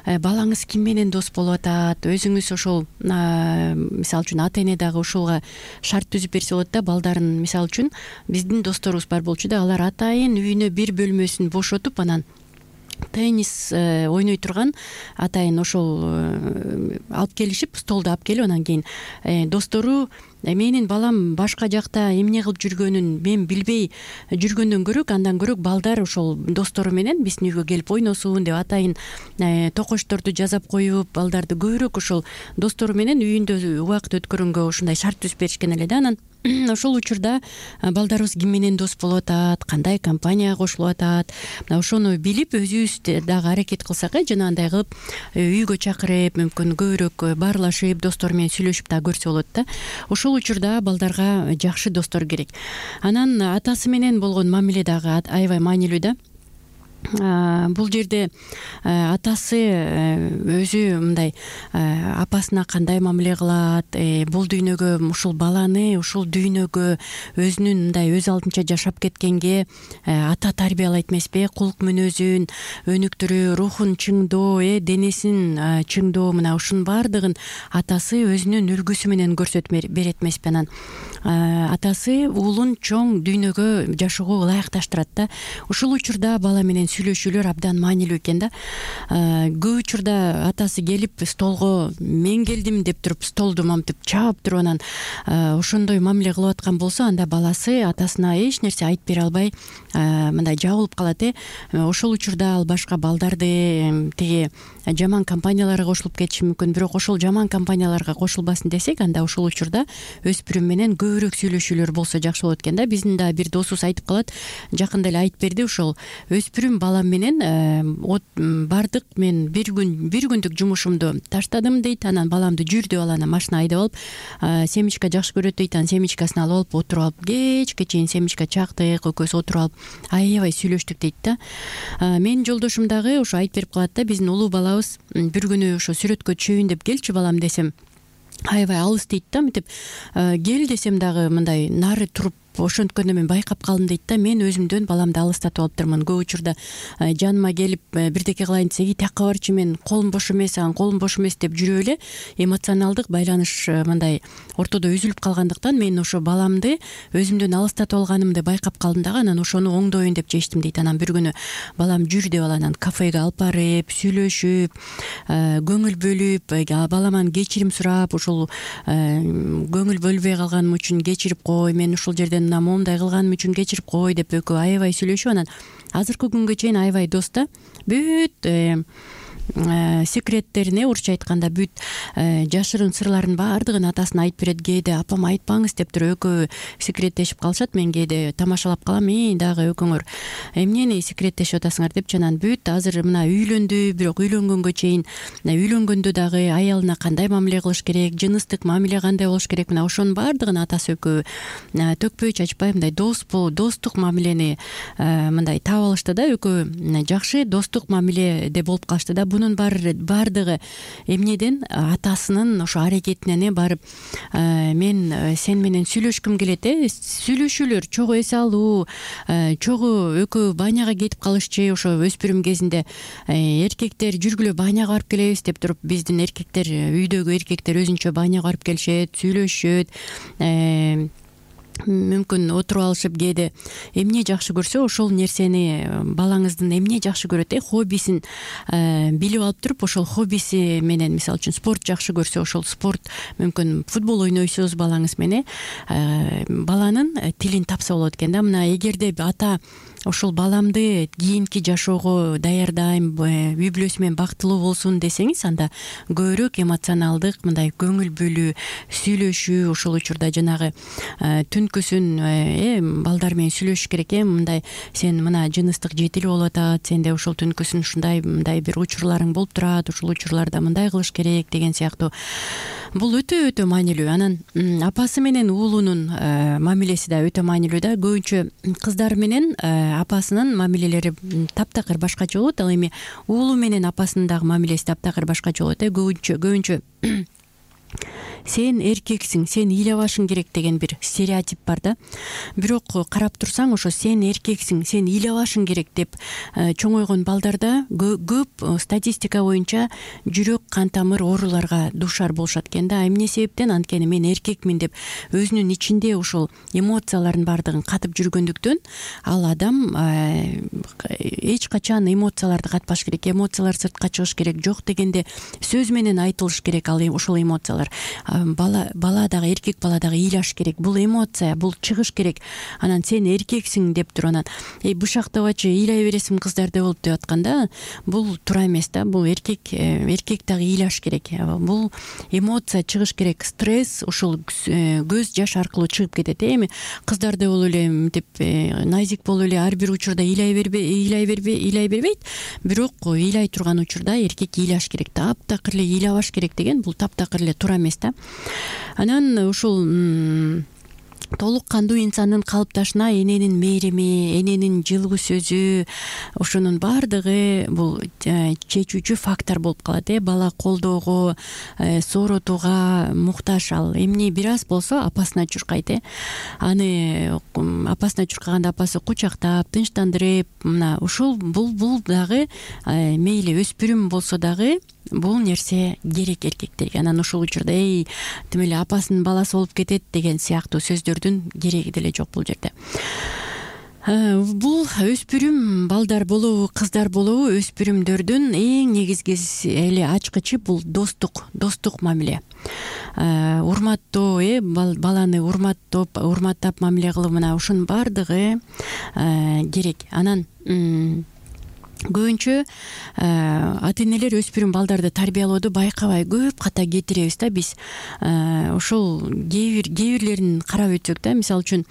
балаңыз ким менен дос болуп атат, өзүңүз ошол мисалы үчүн ата эне дагы ушулга шарт түзүп берсе болот да. Балдарын мисалы үчүн биздин досторубуз бар болчу да, алар атайын үйүнө бир бөлмөсүн бошотуп анан теннис ойной турган атайын ошол алып келишип, столду алып келип, анан кийин достору менин балам башка жакта эмне кылып жүргөнүн мен билбей жүргөндөн көрөк, андан көрөк балдар ошол достору менен биздин үйгө келип ойносун деп атайын токочторду жасап коюп, балдарды көбүрөөк ошол достору менен үйүндө убакыт өткөргөнгө ушундай шарт түзүп беришкен эле да. Анан ошол учурда балдарыбыз ким менен дос болуп атат, кандай компанияга кошулуп атат, мына ошону билип өзүбүз дагы аракет кылсак, жанагындай кылып үйгө чакырып, мүмкүн көбүрөөк баарлашып, достору менен сүйлөшүп дагы көрсө болот да. Ошол учурда балдарга жакшы достор керек. Анан атасы менен болгон мамиле дагы аябай маанилүү да. Бул жерде атасы өзү мындай апасына кандай мамиле кылат, бул дүйнөгө ушул баланы ушул дүйнөгө өзүнүн мындай өз алдынча жашап кеткенге ата тарбиялайт эмеспи? Кулк мүнөзүн өнүктүрүү, рухун чыңдоо, денесин чыңдоо, мына ушунун баардыгын атасы өзүнүн үлгүсү менен көрсөтүп берет эмеспи? Анан атасы уулун чоң дүйнөгө жашоого ылайыкташтырат да. Ушул учурда бала менен сүйлөшүүлөр абдан маанилүү экен да. Көп учурда атасы келип столго мен келдим деп туруп столду мамтып чаап туруп анан ошондой мамиле кылып аткан болсо, анда баласы атасына эч нерсе айтып бере албай мындай жабылып калат. Ошол учурда ал башка балдарды тиги жаман компанияларга кошулуп кетиши мүмкүн. Бирок ошол жаман компанияларга кошулбасын десек, анда ошол учурда өспүрүм менен көбүрөөк сүйлөшүүлөр болсо жакшы болот экен да. Биздин да бир досубуз айтып калат, жакында эле айтып берди, ошол өспүрүм балам менен бардык, мен бир күндүк жумушумду таштадым дейт. Анан баламды жүр деп анан машина айдап алып, семечка жакшы көрөт дейт, анан семечкасын алып алып отуруп алып кечке чейин семечка чактык, экөөбүз отуруп алып аябай сүйлөштүк дейт да. Менин жолдошум дагы ошо айтып берип калат да, биздин улуу балабыз бир күнү ошо сүрөткө түшөйүн деп келчи балам десем, аябай алыс дейт да. Мынтип кел десем дагы мындай нары туруп ошонткөндө мен байкап калдым дейт да. Мен өзүмдөн баламды алыстатып алыптырмын. Көп учурда жаныма келип бирдеке кылайын десе, тияка барчы, мен колум бош эмес, анан колум бош эмес деп жүрүп эле эмоционалдык байланыш мындай ортодо үзүлүп калгандыктан мен ошо баламды өзүмдөн алыстатып алганымды байкап калдым дагы. Анан ошону оңдоюн деп чечтим дейт. Анан бир күнү балам жүр деп анан кафеге алып барып сүйлөшүп, көңүл бөлүп, баламан кечирим сурап, ушул көңүл бөлбөй калганым үчүн кечирип кой, мен ушул жерден момундай кылганым үчүн кечирип кой деп экөө аябай сүйлөшүп, анан азыркы күнгө чейин аябай дос да. Бүт секреттерине, урусча айтканда бүт жашырын сырларын баардыгын атасына айтып берет. Кээде апам айтпаңыз деп туруп экөө секреттешип калышат. Мен кээде тамашалап калам, дагы экөөңөр эмнени секреттешип атасыңар депчи. Анан бүт азыр мына үйлөндү, бирок үйлөнгөнгө чейин үйлөнгөндө дагы аялына кандай мамиле кылыш керек, жыныстык мамиле кандай болуш керек, мына ошонун баардыгын атасы экөө төкпөй чачпай мындай достук мамилени мындай таап алышты да. Экөө жакшы достук мамиледе болуп калышты да. Бунун баардыгы эмнеден? Атасынын ошо аракетинен барып, мен сен менен сүйлөшкүм келет. Сүйлөшүүлөр чогуу эс алуу, чогуу экөө баняга кетип калышчы. Ошо өспүрүм кезинде эркектер жүргүлө баняга барып келебиз деп туруп, биздин эркектер, үйдөгү эркектер өзүнчө баняга барып келишет, сүйлөшөт, мүмкүн отуруп алышып, кээде эмне жакшы көрсө ошол нерсени, балаңыздын эмне жакшы көрөт, хоббисин билип алып туруп, ошол хоббиси менен, мисалы үчүн спорт жакшы көрсө, ошол спорт, мүмкүн футбол ойнойсуз балаңыз менен, баланын тилин тапса болот экен да. Мына эгерде ата ушул баламды кийинки жашоого даярдайм, үй бүлөсү менен бактылуу болсун десеңиз, анда көбүрөөк эмоционалдык мындай көңүл бөлүү, сүйлөшүү, ушул учурда жанагы түнкүсүн балдар менен сүйлөшүш керек. Мындай сен мына жыныстык жетилүү болуп атат, сенде ушул түнкүсүн ушундай мындай бир учурларың болуп турат, ушул учурларда мындай кылыш керек деген сыяктуу. Бул өтө маанилүү. Анан апасы менен уулунун мамилеси да өтө маанилүү да. Көбүнчө кыздар менен апасынын мамилелери таптакыр башкача болот. Ал эми уулу менен апасынын дагы мамилеси таптакыр башкача болот. Көбүнчө сен эркексиң, сен ыйлабашың керек деген бир стереотип бар да. Бирок карап турсаң, ошо сен эркексиң, сен ыйлабашың керек деп чоңойгон балдарда көп статистика боюнча жүрөк кан тамыр ооруларга дуушар болушат экен да. Эмне себептен? Анткени мен эркекмин деп өзүнүн ичинде ушул эмоциялардын баардыгын катып жүргөндүктөн ал адам эч качан эмоцияларды катпаш керек. Эмоциялар сыртка чыгыш керек. Жок дегенде сөз менен айтылыш керек ал ошол эмоциялар. Бала дагы, эркек бала дагы ыйлаш керек. Бул эмоция, бул чыгыш керек. Анан сен эркексиң деп туруп анан бушактабачы, ыйлай бересиң кыздарда болуп деп атканда, бул туура эмес да. Бул эркек дагы ыйлаш керек. Бул эмоция чыгыш керек. Стресс ушул көз жаш аркылуу чыгып кетет. Эми кыздарда болуп эле мынтип назик болуп эле ар бир учурда ыйлай бербейт. Бирок ыйлай турган учурда эркек ыйлаш керек. Таптакыр эле ыйлабаш керек деген бул таптакыр эле туура эмес да. Анан ушул толук кандуу инсандын калыпташына эненин мээрими, эненин жылуу сөзү, ошонун баардыгы бул чечүүчү фактор болуп калат. Бала колдоого, сооротууга муктаж. Ал эмне бир аз болсо апасына чуркайт. Аны апасына чуркаганда апасы кучактап, тынчтандырып, мына ушул бул дагы мейли өспүрүм болсо дагы бул нерсе керек эркектерге. Анан ушул учурда тим эле апасынын баласы болуп кетет деген сыяктуу сөздөрдүн кереги деле жок бул жерде. Бул өспүрүм балдар болобу, кыздар болобу, өспүрүмдөрдүн эң негизги эле ачкычы бул достук мамиле. Урматтоо, баланы урматтап мамиле кылуу, мына ушунун баардыгы керек. Анан көбүнчө ата энелер өспүрүм балдарды тарбиялоодо байкабай көп ката кетиребиз да биз. Ошол кээ бирлерин карап өтсөк да, мисалы үчүн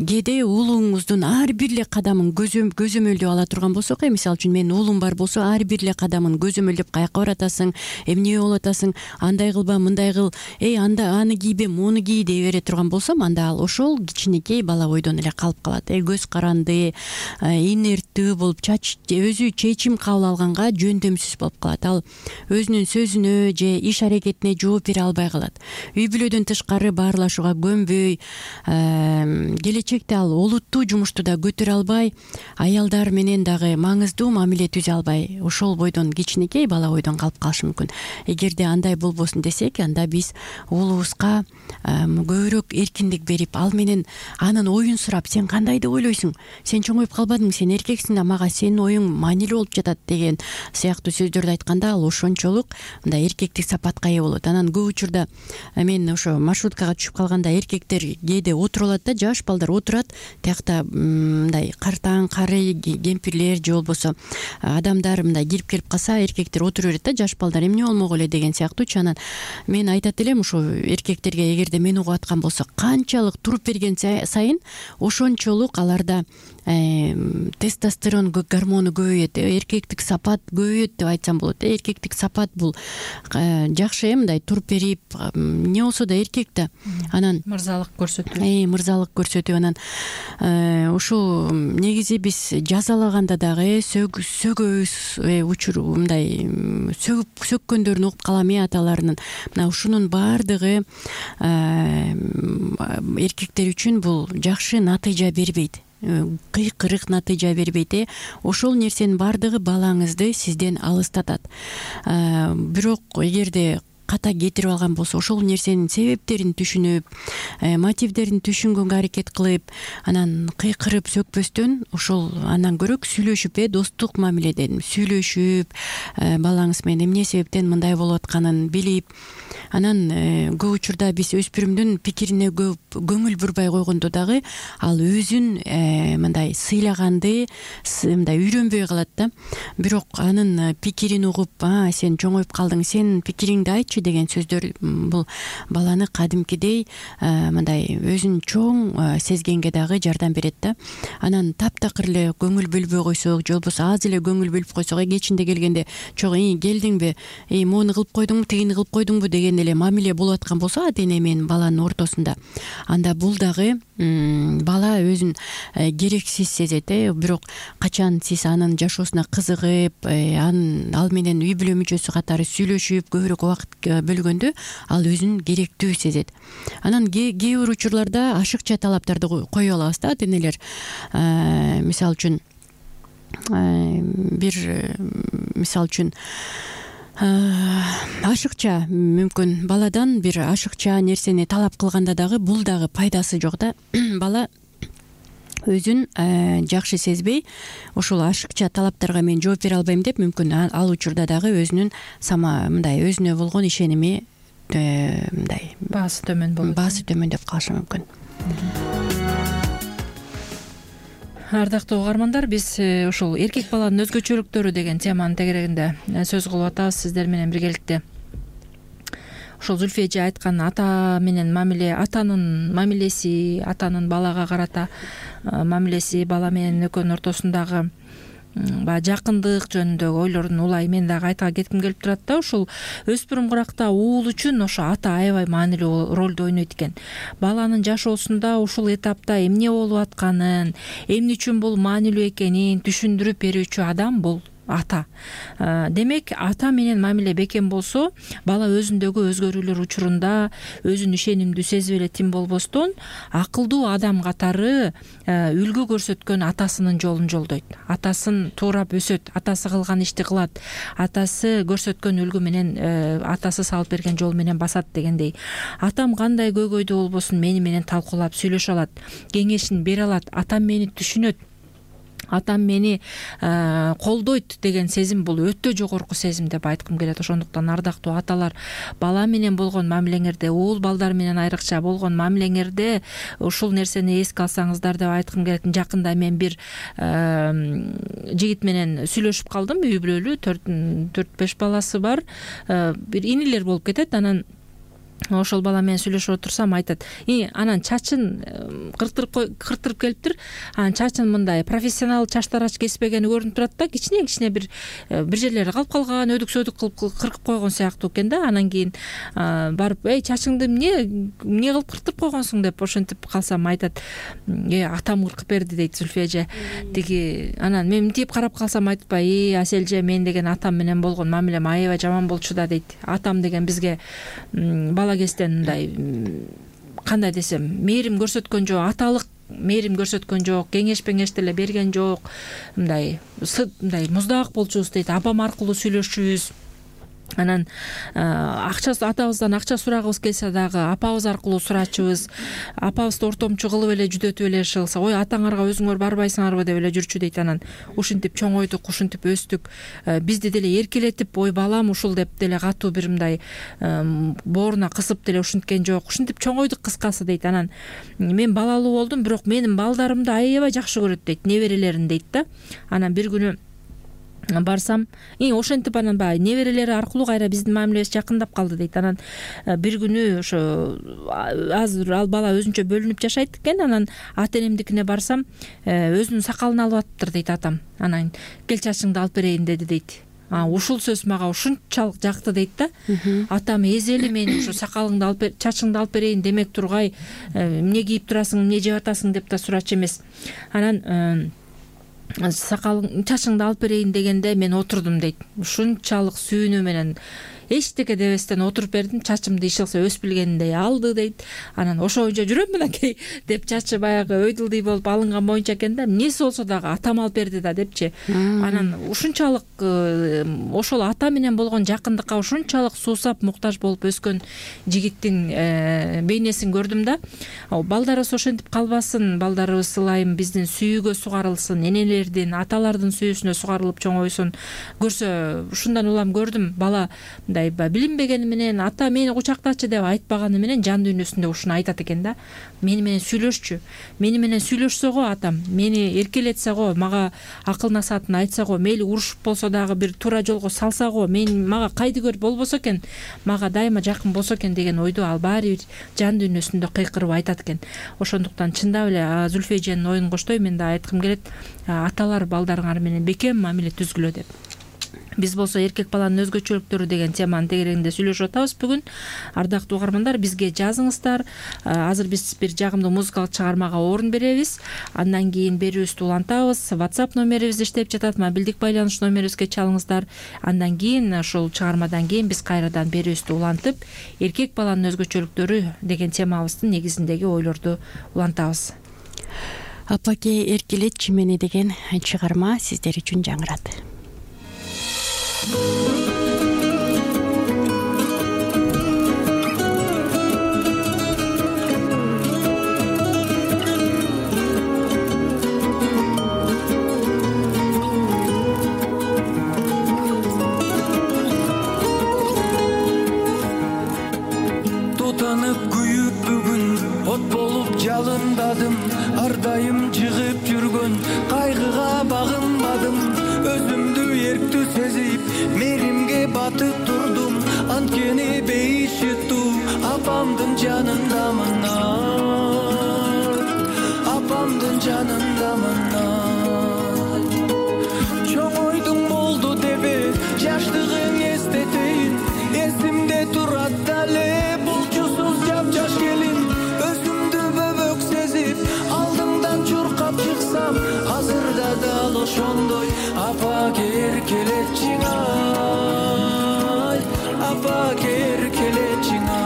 кээде уулуңуздун ар бир эле кадамын көзөмөлдөп ала турган болсок, мисалы үчүн менин уулум бар болсо, ар бир эле кадамын көзөмөлдөп каяка баратасың, эмне болуп атасың, андай кылба, мындай кыл, аны кийбе, муну кий дей бере турган болсом, анда ал ошол кичинекей бала бойдон эле калып калат. Көз каранды, инерттүү болуп, өзү чечим кабыл алганга жөндөмсүз болуп калат. Ал өзүнүн сөзүнө же иш аракетине жооп бере албай калат. Үй бүлөдөн тышкары баарлашууга көнбөй, келечекте ал олуттуу жумушту да көтөрө албай, аялдар менен дагы маңыздуу мамиле түзө албай, ошол бойдон, кичинекей бала бойдон калып калышы мүмкүн. Эгерде андай болбосун десек, анда биз уулубузга көбүрөөк эркиндик берип, ал менен анын оюн сурап, сен кандай деп ойлойсуң, сен чоңоюп калбадыңбы, сен эркексиң да, мага сенин оюң маанилүү болуп жатат деген сыяктуу сөздөрдү айтканда, ал ошончолук мындай эркектик сапатка ээ болот. Анан көп учурда мен ошо маршруткага түшүп калганда эркектер кээде отуруп алат да, жаш балдар отурат, тиякта мындай картаң кары кемпирлер же болбосо адамдар мындай кирип келип калса, эркектер отура берет да, жаш балдар эмне болмок эле деген сыяктуучу. Анан мен айтат элем ошо эркектерге, эгерде мени угуп аткан болсо, канчалык туруп берген сайын ошончолук аларда тестостерон гормону көбөйөт, эркектик сапат көбөйөт деп айтсам болот. Эркектик сапат бул жакшы, мындай туруп берип, эмне болсо да эркек да. Анан мырзалык көрсөтүү. Мырзалык көрсөтүү. Анан ушул негизи биз жазалаганда дагы сөгөбүз, учур мындай сөккөндөрүн угуп калам аталарынын. Мына ушунун баардыгы эркектер үчүн бул жакшы натыйжа бербейт. Кыйкырык натыйжа бербейт. Ошол нерсенин баардыгы балаңызды сизден алыстатат. Бирок эгерде ката кетирип алган болсо, ошол нерсенин себептерин түшүнүп, мотивдерин түшүнгөнгө аракет кылып, анан кыйкырып сөкпөстөн, ошол андан көрөк сүйлөшүп, достук мамиледен сүйлөшүп, балаңыз менен эмне себептен мындай болуп атканын билип, Анан көп учурда биз өспүрүмдүн пикирине көп көңүл бурбай койгондо дагы ал өзүн мындай сыйлаганды мындай үйрөнбөй калат да. Бирок анын пикирин угуп, сен чоңоюп калдың, сен пикириңди айтчы деген сөздөр бул баланы кадимкидей мындай өзүн чоң сезгенге дагы жардам берет да. Анан таптакыр эле көңүл бөлбөй койсок, же болбосо аз эле көңүл бөлүп койсок, кечинде келгенде чогуу келдиңби, моуну кылып койдуңбу, тигини кылып койдуңбу деген эле мамиле болуп аткан болсо ата эне менен баланын ортосунда, анда бул дагы бала өзүн керексиз сезет. Бирок качан сиз анын жашоосуна кызыгып, ал менен үй бүлө мүчөсү катары сүйлөшүп көбүрөөк убакыт бөлгөндө ал өзүн керектүү сезет. Анан кээ бир учурларда ашыкча талаптарды кое алабыз да ата энелер. Мисалы үчүн ашыкча мүмкүн баладан бир ашыкча нерсени талап кылганда дагы бул дагы пайдасы жок да. Бала өзүн жакшы сезбей, ушул ашыкча талаптарга мен жооп бере албайм деп, мүмкүн ал учурда дагы өзүнүн мындай өзүнө болгон ишеними мындай баасы төмөндөп калышы мүмкүн. Ардактуу угармандар, биз ушул эркек баланын өзгөчөлүктөрү деген теманын тегерегинде сөз кылып атабыз сиздер менен биргеликте. Ошол Зүлфия эже айткан ата менен мамиле, атанын мамилеси, атанын балага карата мамилеси, бала менен экөөнүн ортосундагы баягы жакындык жөнүндөгү ойлорун улай мен дагы айта кетким келип турат да. Ушул өспүрүм куракта уул үчүн ошо ата аябай маанилүү ролду ойнойт экен. Баланын жашоосунда ушул этапта эмне болуп атканын, эмне үчүн бул маанилүү экенин түшүндүрүп берүүчү адам бул ата. Демек, ата менен мамиле бекем болсо, бала өзүндөгү өзгөрүүлөр учурунда өзүн ишенимдүү сезип эле тим болбостон, акылдуу адам катары үлгү көрсөткөн атасынын жолун жолдойт. Атасын туурап өсөт, атасы кылган ишти кылат, атасы көрсөткөн үлгү менен, атасы салып берген жол менен басат дегендей. Атам кандай көйгөйдүү болбосун мени менен талкуулап сүйлөшө алат, кеңешин бере алат, атам мени түшүнөт, атам мени колдойт деген сезим бул өтө жогорку сезим деп айткым келет. Ошондуктан ардактуу аталар, бала менен болгон мамилеңерде, уул балдар менен айрыкча болгон мамилеңерде ушул нерсени эске алсаңыздар деп айткым келет. Жакында мен бир жигит менен сүйлөшүп калдым, үй бүлөлүү, 4-5 баласы бар, бир инилер болуп кетет. Анан ошол бала менен сүйлөшүп отурсам айтат, анан чачын кыртырып келиптир, анан чачын мындай профессионал чач тарач кеспегени көрүнүп турат да, кичине бир жерлери калып калган, өдүк кылып кыркып койгон сыяктуу экен да. Анан кийин барып, чачыңды эмне кылып кыртырып койгонсуң деп ошентип калсам айтат, атам кыркып берди дейт Зүлфия эже. Тиги анан мен мынтип карап калсам айтпай, Аселже, мен деген атам менен болгон мамилем аябай жаман болчу да дейт. Атам деген бизге бала кезден мындай кандай десем, мээрим көрсөткөн жок, аталык мээрим көрсөткөн жок, кеңеш деле берген жок, мындай муздак болчубуз дейт. Апам аркылуу сүйлөшчүбүз. Анан атабыздан акча сурагыбыз келсе дагы апабыз аркылуу сурачубыз. Апабызды ортомчу кылып эле жүдөтүп эле кылса, атаңарга өзүңөр барбайсыңарбы деп эле жүрчү дейт. Анан ушинтип чоңойдук, ушинтип өстүк. Бизди деле эркелетип, балам ушул деп деле катуу бир мындай бооруна кысып деле ушинткен жок. Ушинтип чоңойдук кыскасы дейт. Анан мен балалуу болдум, бирок менин балдарымды аябай жакшы көрөт дейт, неберелерин дейт да. Анан бир күнү барсам, ошентип анан баягы неберелери аркылуу кайра биздин мамилебиз жакындап калды дейт. Анан бир күнү ошо азыр ал бала өзүнчө бөлүнүп жашайт экен. Анан ата энемдикине барсам, өзүнүн сакалын алып атыптыр дейт атам. Анан кел чачыңды алып берейин деди дейт. Ушул сөз мага ушунчалык жакты дейт да. Атам эзели мени ушу сакалыңды алып бер, чачыңды алып берейин демек тургай, эмне кийип турасың, эмне жеп атасың деп да сурачу эмес. Анан чачыңды алып берейин дегенде мен отурдум дейт. Ушунчалык сүйүнүү менен эчтеке дебестен отуруп бердим, чачымды иш кылса өсүп билгениндей алды дейт. Анан ошо боюнча жүрөм мынакей деп чачы баягы өйдүлдүй болуп алынган боюнча экен да. Эмнеси болсо дагы атам алып берди да депчи. Анан ушунчалык ошол ата менен болгон жакындыкка ушунчалык суусап муктаж болуп өскөн жигиттин бейнесин көрдүм да. Балдарыбыз ошентип калбасын, балдарыбыз ылайым биздин сүйүүгө сугарылсын, энелердин, аталардын сүйүүсүнө сугарылып чоңойсун көрсө, ушундан улам көрдүм. Бала мындай билинбегени менен ата мени кучактачы деп айтпаганы менен жан дүйнөсүндө ушуну айтат экен да. Мени менен сүйлөшчү. Мени менен сүйлөшсө го атам, мени эркелетсе го, мага акыл насаатын айтса го, мейли урушуп болсо дагы бир туура жолго салса го, мага кайдыгер болбосо экен, мага дайыма жакын болсо экен деген ойду ал баары бир жан дүйнөсүндө кыйкырып айтат экен. Ошондуктан чындап эле Зүлфия эженин оюн коштой, мен да айткым келет, аталар балдарыңар менен бекем мамиле түзгүлө деп. Биз болсо эркек баланын өзгөчөлүктөрү деген теманын тегерегинде сүйлөшүп атабыз бүгүн. Ардактуу угармандар, бизге жазыңыздар. Азыр биз бир жагымдуу музыкалык чыгармага орун беребиз. Андан кийин берүүбүздү улантабыз. WhatsApp номерибиз иштеп жатат, мобилдик байланыш номерибизге чалыңыздар. Андан кийин ушул чыгармадан кийин биз кайрадан берүүбүздү улантып, эркек баланын өзгөчөлүктөрү деген темабыздын негизиндеги ойлорду улантабыз. Апаке эркелетчи мени деген чыгарма сиздер үчүн жаңырат. Тутанып күйүп бүгүн от болуп жалындадым, ар дайым жыгып жүргөн кайгыга багынбадым, өзүмдү эрктүү сезип меримге батып турдум, анткени бейишиттүү апамдын жанындамын, апамдын жанындамын. Чоң ойдуң болду дебе жаштыгың эстетейин, эсимде турат дале булчусуз жапжаш келин, өзүмдү бөбөк сезип алдыңдан чуркап чыксам, азырда дал ошондой апаке эркелетчиң ай, апаке эркелетчиң ай.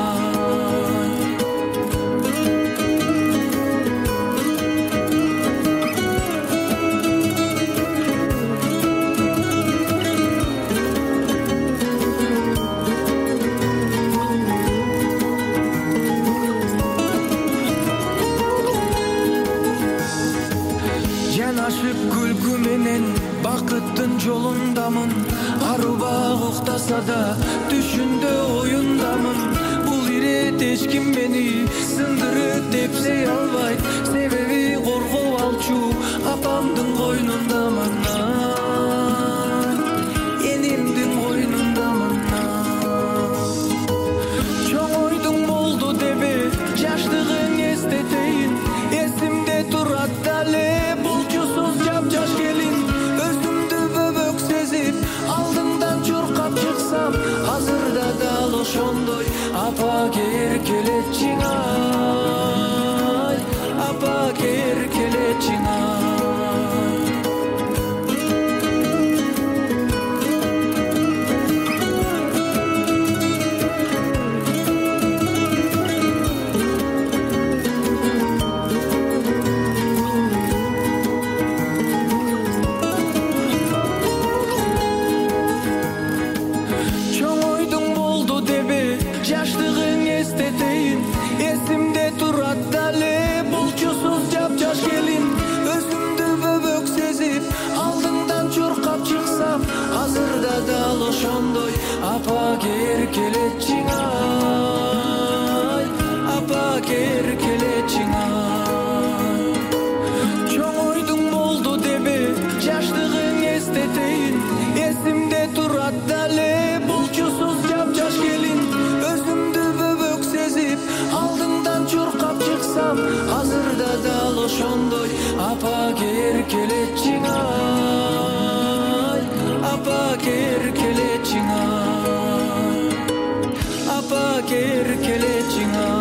Жанашып күлкү менен бакыттын жолундамын, арубак уктаса да түшүндө оюндамын. Бул ирет эч ким мени сындырып тепсей албайт, себеби коргоо алчу апамдын койнундамын, энимдин койнундамын. Чоң ойдуң болду дебе жаштыгың эстетейин, эсимде турат дале булчусуз жапжаш келин, өзүмдү бөбөк сезип алдыңдан чуркап чыксам, азырда дал ошондой апаке эркелетчиң ай, апаке эркелетчиң ай. Жаштыгың эстетейин, эсимде турат дале булчусуз жапжаш келин, өзүмдү бөбөк сезип алдыңдан чуркап чыксам, азырда дал ошондой апаке эркелетчиң ай, апаке эркелетчиң ай. Чоң ойдуң болду дебе жаштыгың эстетейин, эсимде турат дале булчусуз жапжаш келин, өзүмдү бөбөк сезип алдыңдан чуркап чыксам, азырда дал ошондой апаке эркелетчиң ай, апаке эркелетчиң ай, апаке эркелетчиң ай.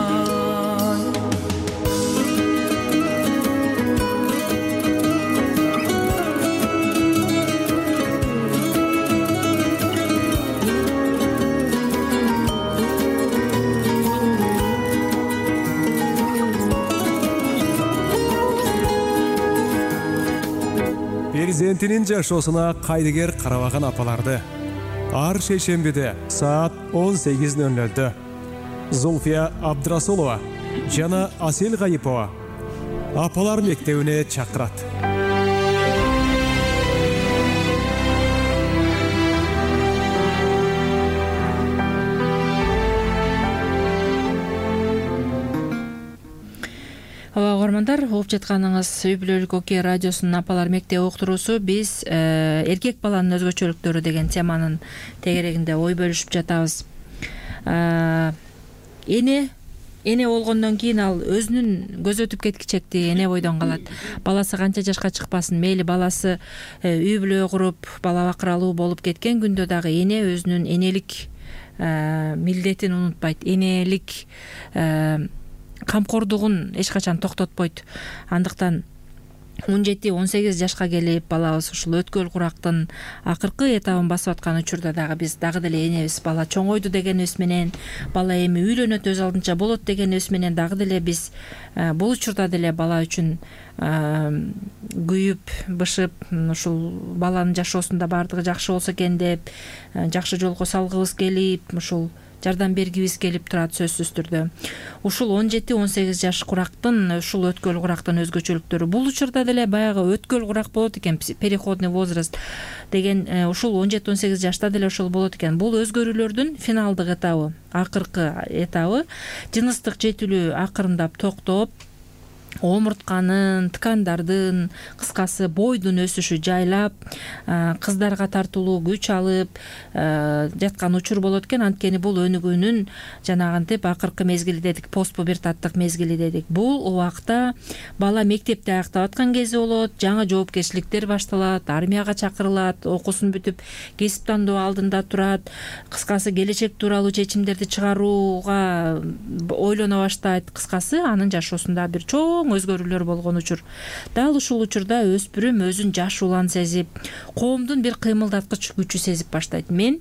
Перзентинин жашоосуна кайдыгер карабаган апаларды ар шейшембиде саат 18:00 Зульфия Абдрасулова жана Асел Гайипова апалар мектебине чакырат. ооба, угармандар, угуп жатканыңыз Үй бүлөлүк Окей радиосунун Апалар мектеби уктуруусу. Биз эркек баланын өзгөчөлүктөрү деген теманын тегерегинде ой бөлүшүп жатабыз. Эне болгондон кийин ал өзүнүн көзөтүп кеткичекти эне бойдон калат. Баласы канча жашка чыкпасын, мейли баласы үй бүлө куруп, бала бакыралуу болуп кеткен күндө дагы эне өзүнүн энелик милдетин унутпайт. Энелик камкордугун эч качан токтотпойт. Андыктан 17-18 жашка келип балабыз ушул өткөл курактын акыркы этабын басып аткан учурда дагы биз дагы деле энебиз бала чоңойду дегенибиз менен, бала эми үйлөнөт, өз алдынча болот дегенибиз менен дагы деле биз бул учурда деле бала үчүн күйүп, бышып, ушул баланын жашоосунда баардыгы жакшы болсо экен деп жакшы жолго салгыбыз келип, ушул жардам бергибиз келип турат сөзсүз түрдө. Ушул 17-18 жаш курактын, ушул өткөл курактын өзгөчөлүктөрү. Бул учурда деле баягы өткөл курак болот экен, переходный возраст деген ушул 17-18 жашта деле ошол болот экен. Бул өзгөрүүлөрдүн финалдык этабы, акыркы этабы. Жыныстык жетилүү акырындап токтоп, омуртканын, ткандардын, кыскасы бойдун өсүшү жайлап, кыздарга тартылуу күч алып жаткан учур болот экен. Анткени бул өнүгүүнүн жанагынтип акыркы мезгили дедик, постпубертаттык мезгили дедик. Бул убакта бала мектепти аяктап аткан кези болот, жаңы жоопкерчиликтер башталат, армияга чакырылат, окуусун бүтүп кесип тандоо алдында турат. Кыскасы келечек тууралуу чечимдерди чыгарууга ойлоно баштайт. Кыскасы анын жашоосунда бир чоң өзгөрүүлөр болгон учур. Дал ушул учурда өспүрүм өзүн жаш улан сезип, коомдун бир кыймылдаткыч күчү сезип баштайт. Мен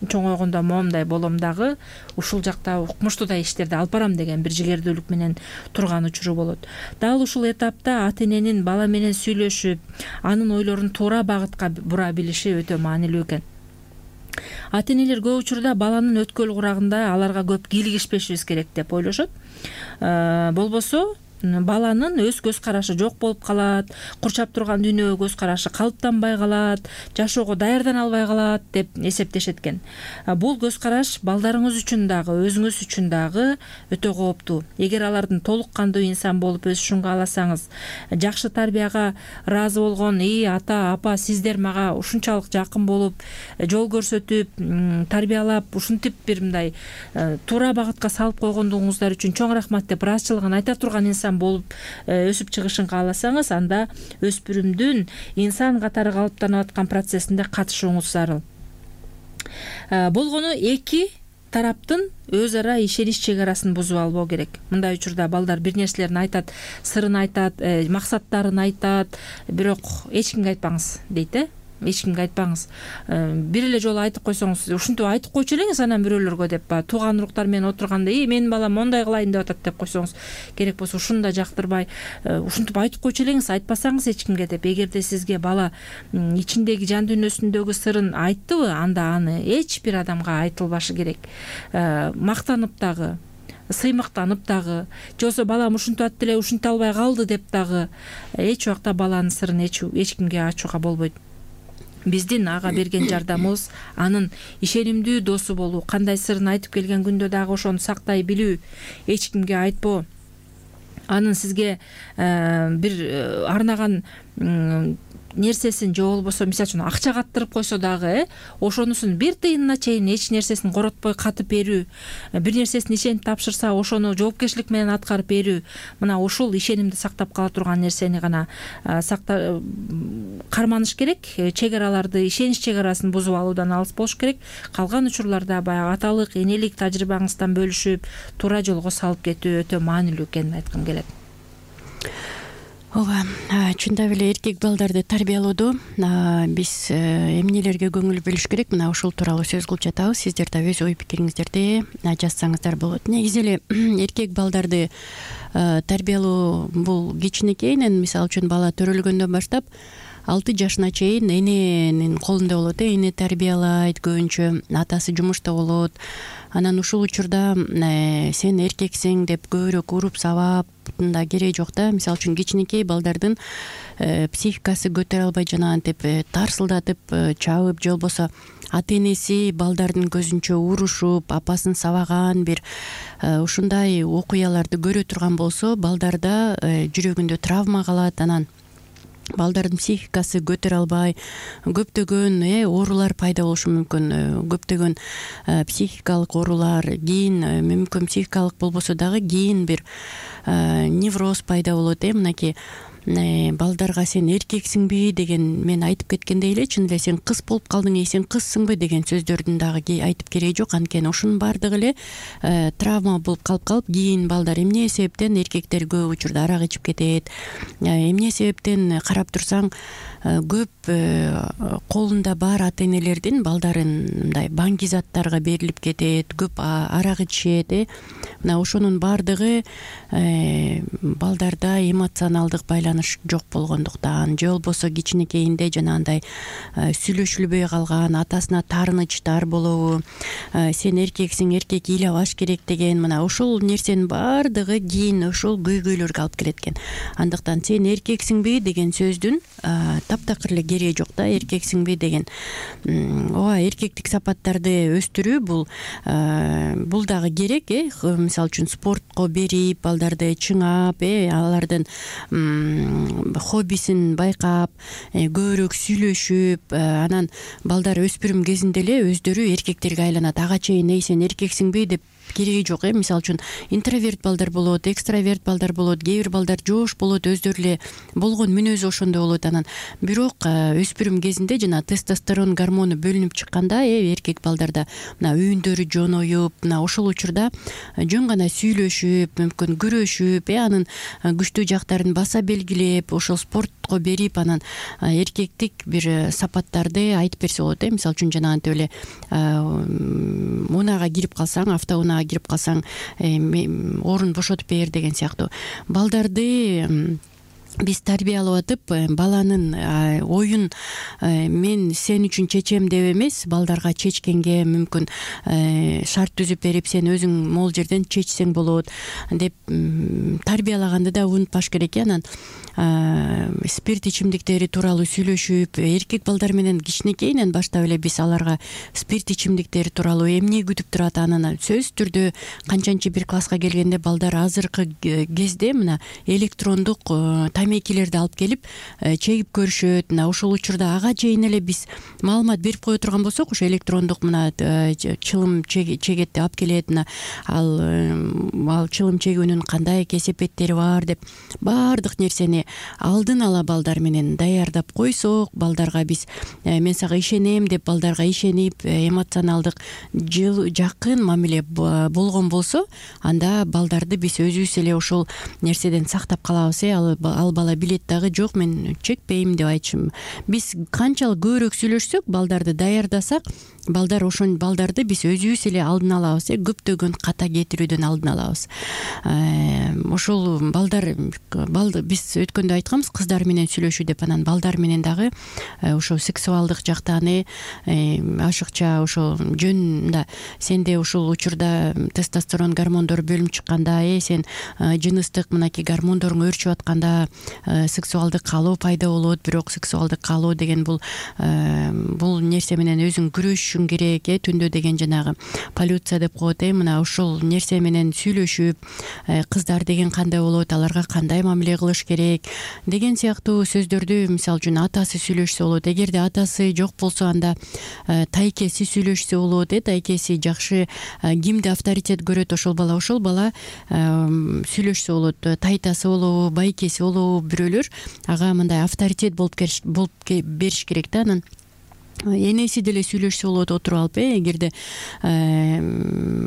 чоңойгондо моундай болом дагы, ушул жакта укмуштуудай иштерди алып барам деген бир жигердүүлүк менен турган учуру болот. Дал ушул этапта ата эненин бала менен сүйлөшүп, анын ойлорун туура багытка бура билиши өтө маанилүү экен. Ата энелер көп учурда баланын өткөл курагында аларга көп кийлигишпешибиз керек деп ойлошот. Болбосо баланын өз көз карашы жок болуп калат, курчап турган дүйнөгө көз карашы калыптанбай калат, жашоого даярдана албай калат деп эсептешет экен. Бул көз караш балдарыңыз үчүн дагы, өзүңүз үчүн дагы өтө кооптуу. Эгер алардын толук кандуу инсан болуп өсүшүн кааласаңыз, жакшы тарбияга ыраазы болгон ата, апа, сиздер мага ушунчалык жакын болуп, жол көрсөтүп, тарбиялап, ушинтип бир мындай туура багытка салып койгондугуңуздар үчүн чоң рахмат деп ыраазычылыгын айта турган инсан болуп өсүп чыгышын кааласаңыз, анда өспүрүмдүн инсан катары калыптанып аткан процессинде катышууңуз зарыл. Болгону эки тараптын өз ара ишенич чек арасын бузуп албоо керек. Мындай учурда балдар бир нерселерин айтат, сырын айтат, максаттарын айтат, бирок эч кимге айтпаңыз дейт. Эч кимге айтпаңыз. Бир эле жолу айтып койсоңуз, ушинтип айтып койчу элеңиз анан бирөөлөргө деп, тууган уруктар менен отурганда, менин балам мондай кылайын деп атат деп койсоңуз, керек болсо ушуну да жактырбай, ушинтип айтып койчу элеңиз, айтпасаңыз эч кимге деп. Эгерде сизге бала ичиндеги жан дүйнөсүндөгү сырын айттыбы, анда аны эч бир адамга айтылбашы керек. Мактанып дагы, сыймыктанып дагы, же болбосо балам ушинтип атты эле, ушинте албай калды деп дагы эч убакта баланын сырын эч кимге ачууга болбойт. Биздин ага берген жардамыбыз анын ишенимдүү досу болуу, кандай сырын айтып келген күндө дагы ошону сактай билүү, эч кимге айтпоо, анын сизге бир арнаган нерсесин же болбосо мисалы үчүн акча каттырып койсо дагы, ошонусун бир тыйынына чейин эч нерсесин коротпой катып берүү, бир нерсесин ишенип тапшырса ошону жоопкерчилик менен аткарып берүү, мына ушул ишенимди сактап кала турган нерсени гана карманыш керек. Чек араларды, ишенич чек арасын бузуп алуудан алыс болуш керек. Калган учурларда баягы аталык, энелик тажрыйбаңыздан бөлүшүп, туура жолго салып кетүү өтө маанилүү экенин айткым келет. Ооба, чындап эле эркек балдарды тарбиялоодо биз эмнелерге көңүл бөлүш керек, мына ушул тууралуу сөз кылып жатабыз. Сиздер да өз ой пикириңиздерди жазсаңыздар болот. Негизи эле эркек балдарды тарбиялоо бул кичинекейинен, мисалы үчүн бала төрөлгөндөн баштап 6 жашына чейин эненин колунда болот. Эне тарбиялайт, көбүнчө атасы жумушта болот. Анан ушул учурда сен эркексиң деп көбүрөөк уруп сабап да кереги жок да. Мисалы үчүн кичинекей балдардын психикасы көтөрө албай жанагынтип тарсылдатып чабып, же болбосо ата энеси балдардын көзүнчө урушуп апасын сабаган бир ушундай окуяларды көрө турган болсо балдарда жүрөгүндө травма калат, анан балдардын психикасы көтөрө албай көптөгөн оорулар пайда болушу мүмкүн. Көптөгөн психикалык оорулар, кийин мүмкүн психикалык болбосо дагы кийин бир невроз пайда болот. Мынакей балдарга сен эркексиңби деген мен айтып кеткендей эле, чын эле сен кыз болуп калдың, сен кызсыңбы деген сөздөрдүн дагы айтып кереги жок. Анткени ошонун баардыгы эле травма болуп калып кийин балдар эмне себептен эркектер көп учурда арак ичип кетет, эмне себептен карап турсаң көп колунда бар ата энелердин балдарын мындай баңги заттарга берилип кетет, көп арак ичишет. Мына ошонун баардыгы балдарда эмоционалдык байланыш жок болгондуктан, же болбосо кичинекейинде жанагындай сүйлөшүлбөй калган, атасына таарынычтар болобу, сен эркексиң, эркек ыйлабаш керек деген, мына ошол нерсенин баардыгы кийин ошол көйгөйлөргө алып келет экен. Андыктан сен эркексиңби деген сөздүн таптакыр эле кереги жок да. Эркексиңби деген ооба эркектик сапаттарды өстүрүү бул дагы керек. Мисалы үчүн спортко берип, балдарды чыңап, алардын хоббисин байкап, көбүрөөк сүйлөшүп, анан балдар өспүрүм кезинде эле өздөрү эркектерге айланат. Ага чейин сен эркексиңби деп кереги жок. Мисалы үчүн интроверт балдар болот, экстраверт балдар болот, кээ бир балдар жоош болот, өздөрү эле болгон мүнөзү ошондой болот. Анан бирок өспүрүм кезинде жана тестостерон гормону бөлүнүп чыкканда эркек балдарда мына үйүндөрү жоноюп, мына ошол учурда жөн гана сүйлөшүп, мүмкүн күрөшүп, анын күчтүү жактарын баса белгилеп, ошол спортко берип, анан эркектик бир сапаттарды айтып берсе болот. Мисалы үчүн жанагынтип эле унаага кирип калсаң, автоунаага кирип калсаң орун бошотуп бер деген сыяктуу. Балдарды биз тарбиялап атып, баланын оюн мен сен үчүн чечем деп эмес, балдарга чечкенге мүмкүн шарт түзүп берип, сен өзүң могул жерден чечсең болот деп тарбиялаганды да унутпаш керек. Анан спирт ичимдиктери тууралуу сүйлөшүп, эркек балдар менен кичинекейинен баштап эле биз аларга спирт ичимдиктери тууралуу эмне күтүп турат, анан сөзсүз түрдө канчанчы бир класска келгенде балдар азыркы кезде мына электрондук тамекилерди алып келип чегип көрүшөт. Мына ошол учурда ага чейин эле биз маалымат берип кое турган болсок, ошо электрондук мына чылым чегетти алып келет, мына ал чылым чегүүнүн кандай кесепеттери бар деп баардык нерсени алдын ала балдар менен даярдап койсок, балдарга биз мен сага ишенем деп балдарга ишенип, эмоционалдык жакын мамиле болгон болсо, анда балдарды биз өзүбүз эле ошол нерседен сактап калабыз. Ал бала билет дагы, жок мен чекпейм деп айтышым. Биз канчалык көбүрөөк сүйлөшсөк, балдарды даярдасак, балдарды биз өзүбүз эле алдын алабыз, көптөгөн ката кетирүүдөн алдын алабыз. Ошол балдар биз өткөндө айтканбыз кыздар менен сүйлөшүү деп, анан балдар менен дагы ошо сексуалдык жактан ашыкча ошо жөн да сенде ушул учурда тестостерон гормондору бөлүнүп чыкканда, сен жыныстык мынакей гормондоруң өөрчүп атканда сексуалдык каалоо пайда болот. Бирок сексуалдык каалоо деген бул нерсе менен өзүң күрөшүшүң керек. Түндө деген жанагы полюция деп коет. Мына ошол нерсе менен сүйлөшүп, кыздар деген кандай болот, аларга кандай мамиле кылыш керек деген сыяктуу сөздөрдү мисалы үчүн атасы сүйлөшсө болот. Эгерде атасы жок болсо, анда тайкеси сүйлөшсө болот. Тайкеси жакшы кимди авторитет көрөт, ошол бала сүйлөшсө болот. Тайтасы болобу, байкеси болобу, бирөөлөр ага мындай авторитет болуп бериш керек да. Анан энеси деле сүйлөшсө болот отуруп алып. Эгерде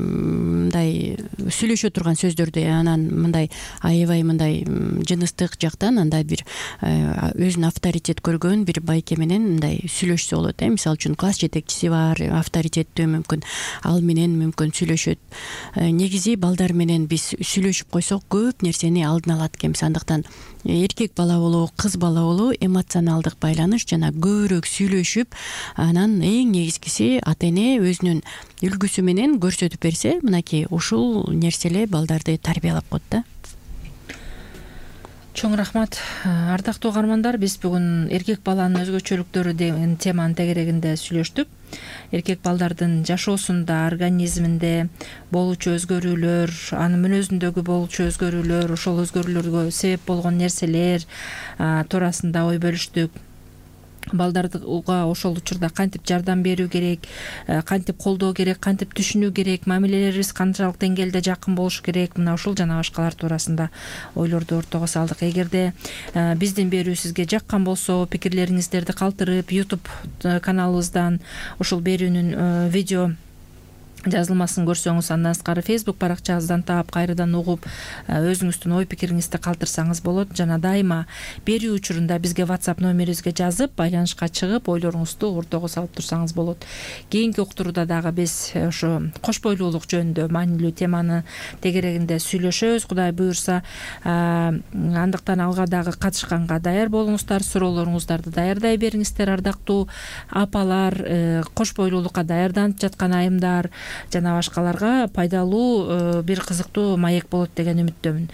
мындай сүйлөшө турган сөздөрдү анан мындай аябай мындай жыныстык жактан, анда бир өзүнүн авторитет көргөн бир байке менен мындай сүйлөшсө болот. Мисалы үчүн класс жетекчиси бар, авторитеттүү, мүмкүн ал менен мүмкүн сүйлөшөт. Негизи балдар менен биз сүйлөшүп койсок көп нерсени алдын алат экенбиз. Андыктан эркек бала болобу, кыз бала болобу эмоционалдык байланыш жана көбүрөөк сүйлөшүп, анан эң негизгиси ата эне өзүнүн үлгүсү менен көрсөтүп берсе, мынакей ушул нерселер балдарды тарбиялап коет да. Чоң рахмат. Ардактуу угармандар, биз бүгүн эркек баланын өзгөчөлүктөрү деген теманын тегерегинде сүйлөштүк. Эркек балдардын жашоосунда, организминде болуучу өзгөрүүлөр, анын мүнөзүндөгү болуучу өзгөрүүлөр, ошол өзгөрүүлөргө себеп болгон нерселер туурасында ой бөлүштүк. Балдарга ошол учурда кантип жардам берүү керек, кантип колдоо керек, кантип түшүнүү керек, мамилелерибиз канчалык деңгээлде жакын болушу керек, мына ушул жана башкалар туурасында ойлорду ортого салдык. Эгерде биздин берүү сизге жаккан болсо, пикирлериңиздерди калтырып, YouTube каналыбыздан ушул берүүнүн видео жазылмасын көрсөңүз, андан сырткары Facebook баракчабыздан таап, кайрадан угуп, өзүңүздүн ой пикириңизди калтырсаңыз болот. Жана дайыма берүү учурунда бизге WhatsApp номерибизге жазып, байланышка чыгып, ойлоруңузду ортого салып турсаңыз болот. Кийинки уктурууда дагы биз ошо кош бойлуулук жөнүндө маанилүү теманы тегерегинде сүйлөшөбүз, Кудай буюрса. Андыктан алга дагы катышканга даяр болуңуздар, суроолоруңуздарды даярдай бериңиздер, ардактуу апалар, кош бойлуулукка даярданып жаткан айымдар жана башкаларга пайдалуу бир кызыктуу маек болот деген үмүттөмүн.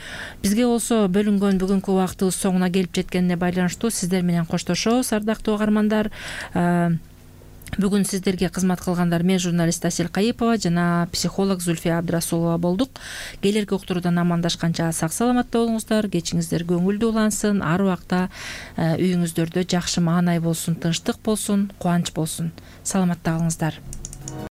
Бизге болсо бөлүнгөн бүгүнкү убактыбыз соңуна келип жеткенине байланыштуу сиздер менен коштошобуз, ардактуу угармандар. Бүгүн сиздерге кызмат кылгандар мен журналист Асель Кайыпова жана психолог Зульфия Абдрасулова болдук. Келерки уктуруудан амандашканча сак саламатта болуңуздар, кечиңиздер көңүлдүү улансын, ар убакта үйүңүздөрдө жакшы маанай болсун, тынчтык болсун, кубанч болсун. Саламатта калыңыздар.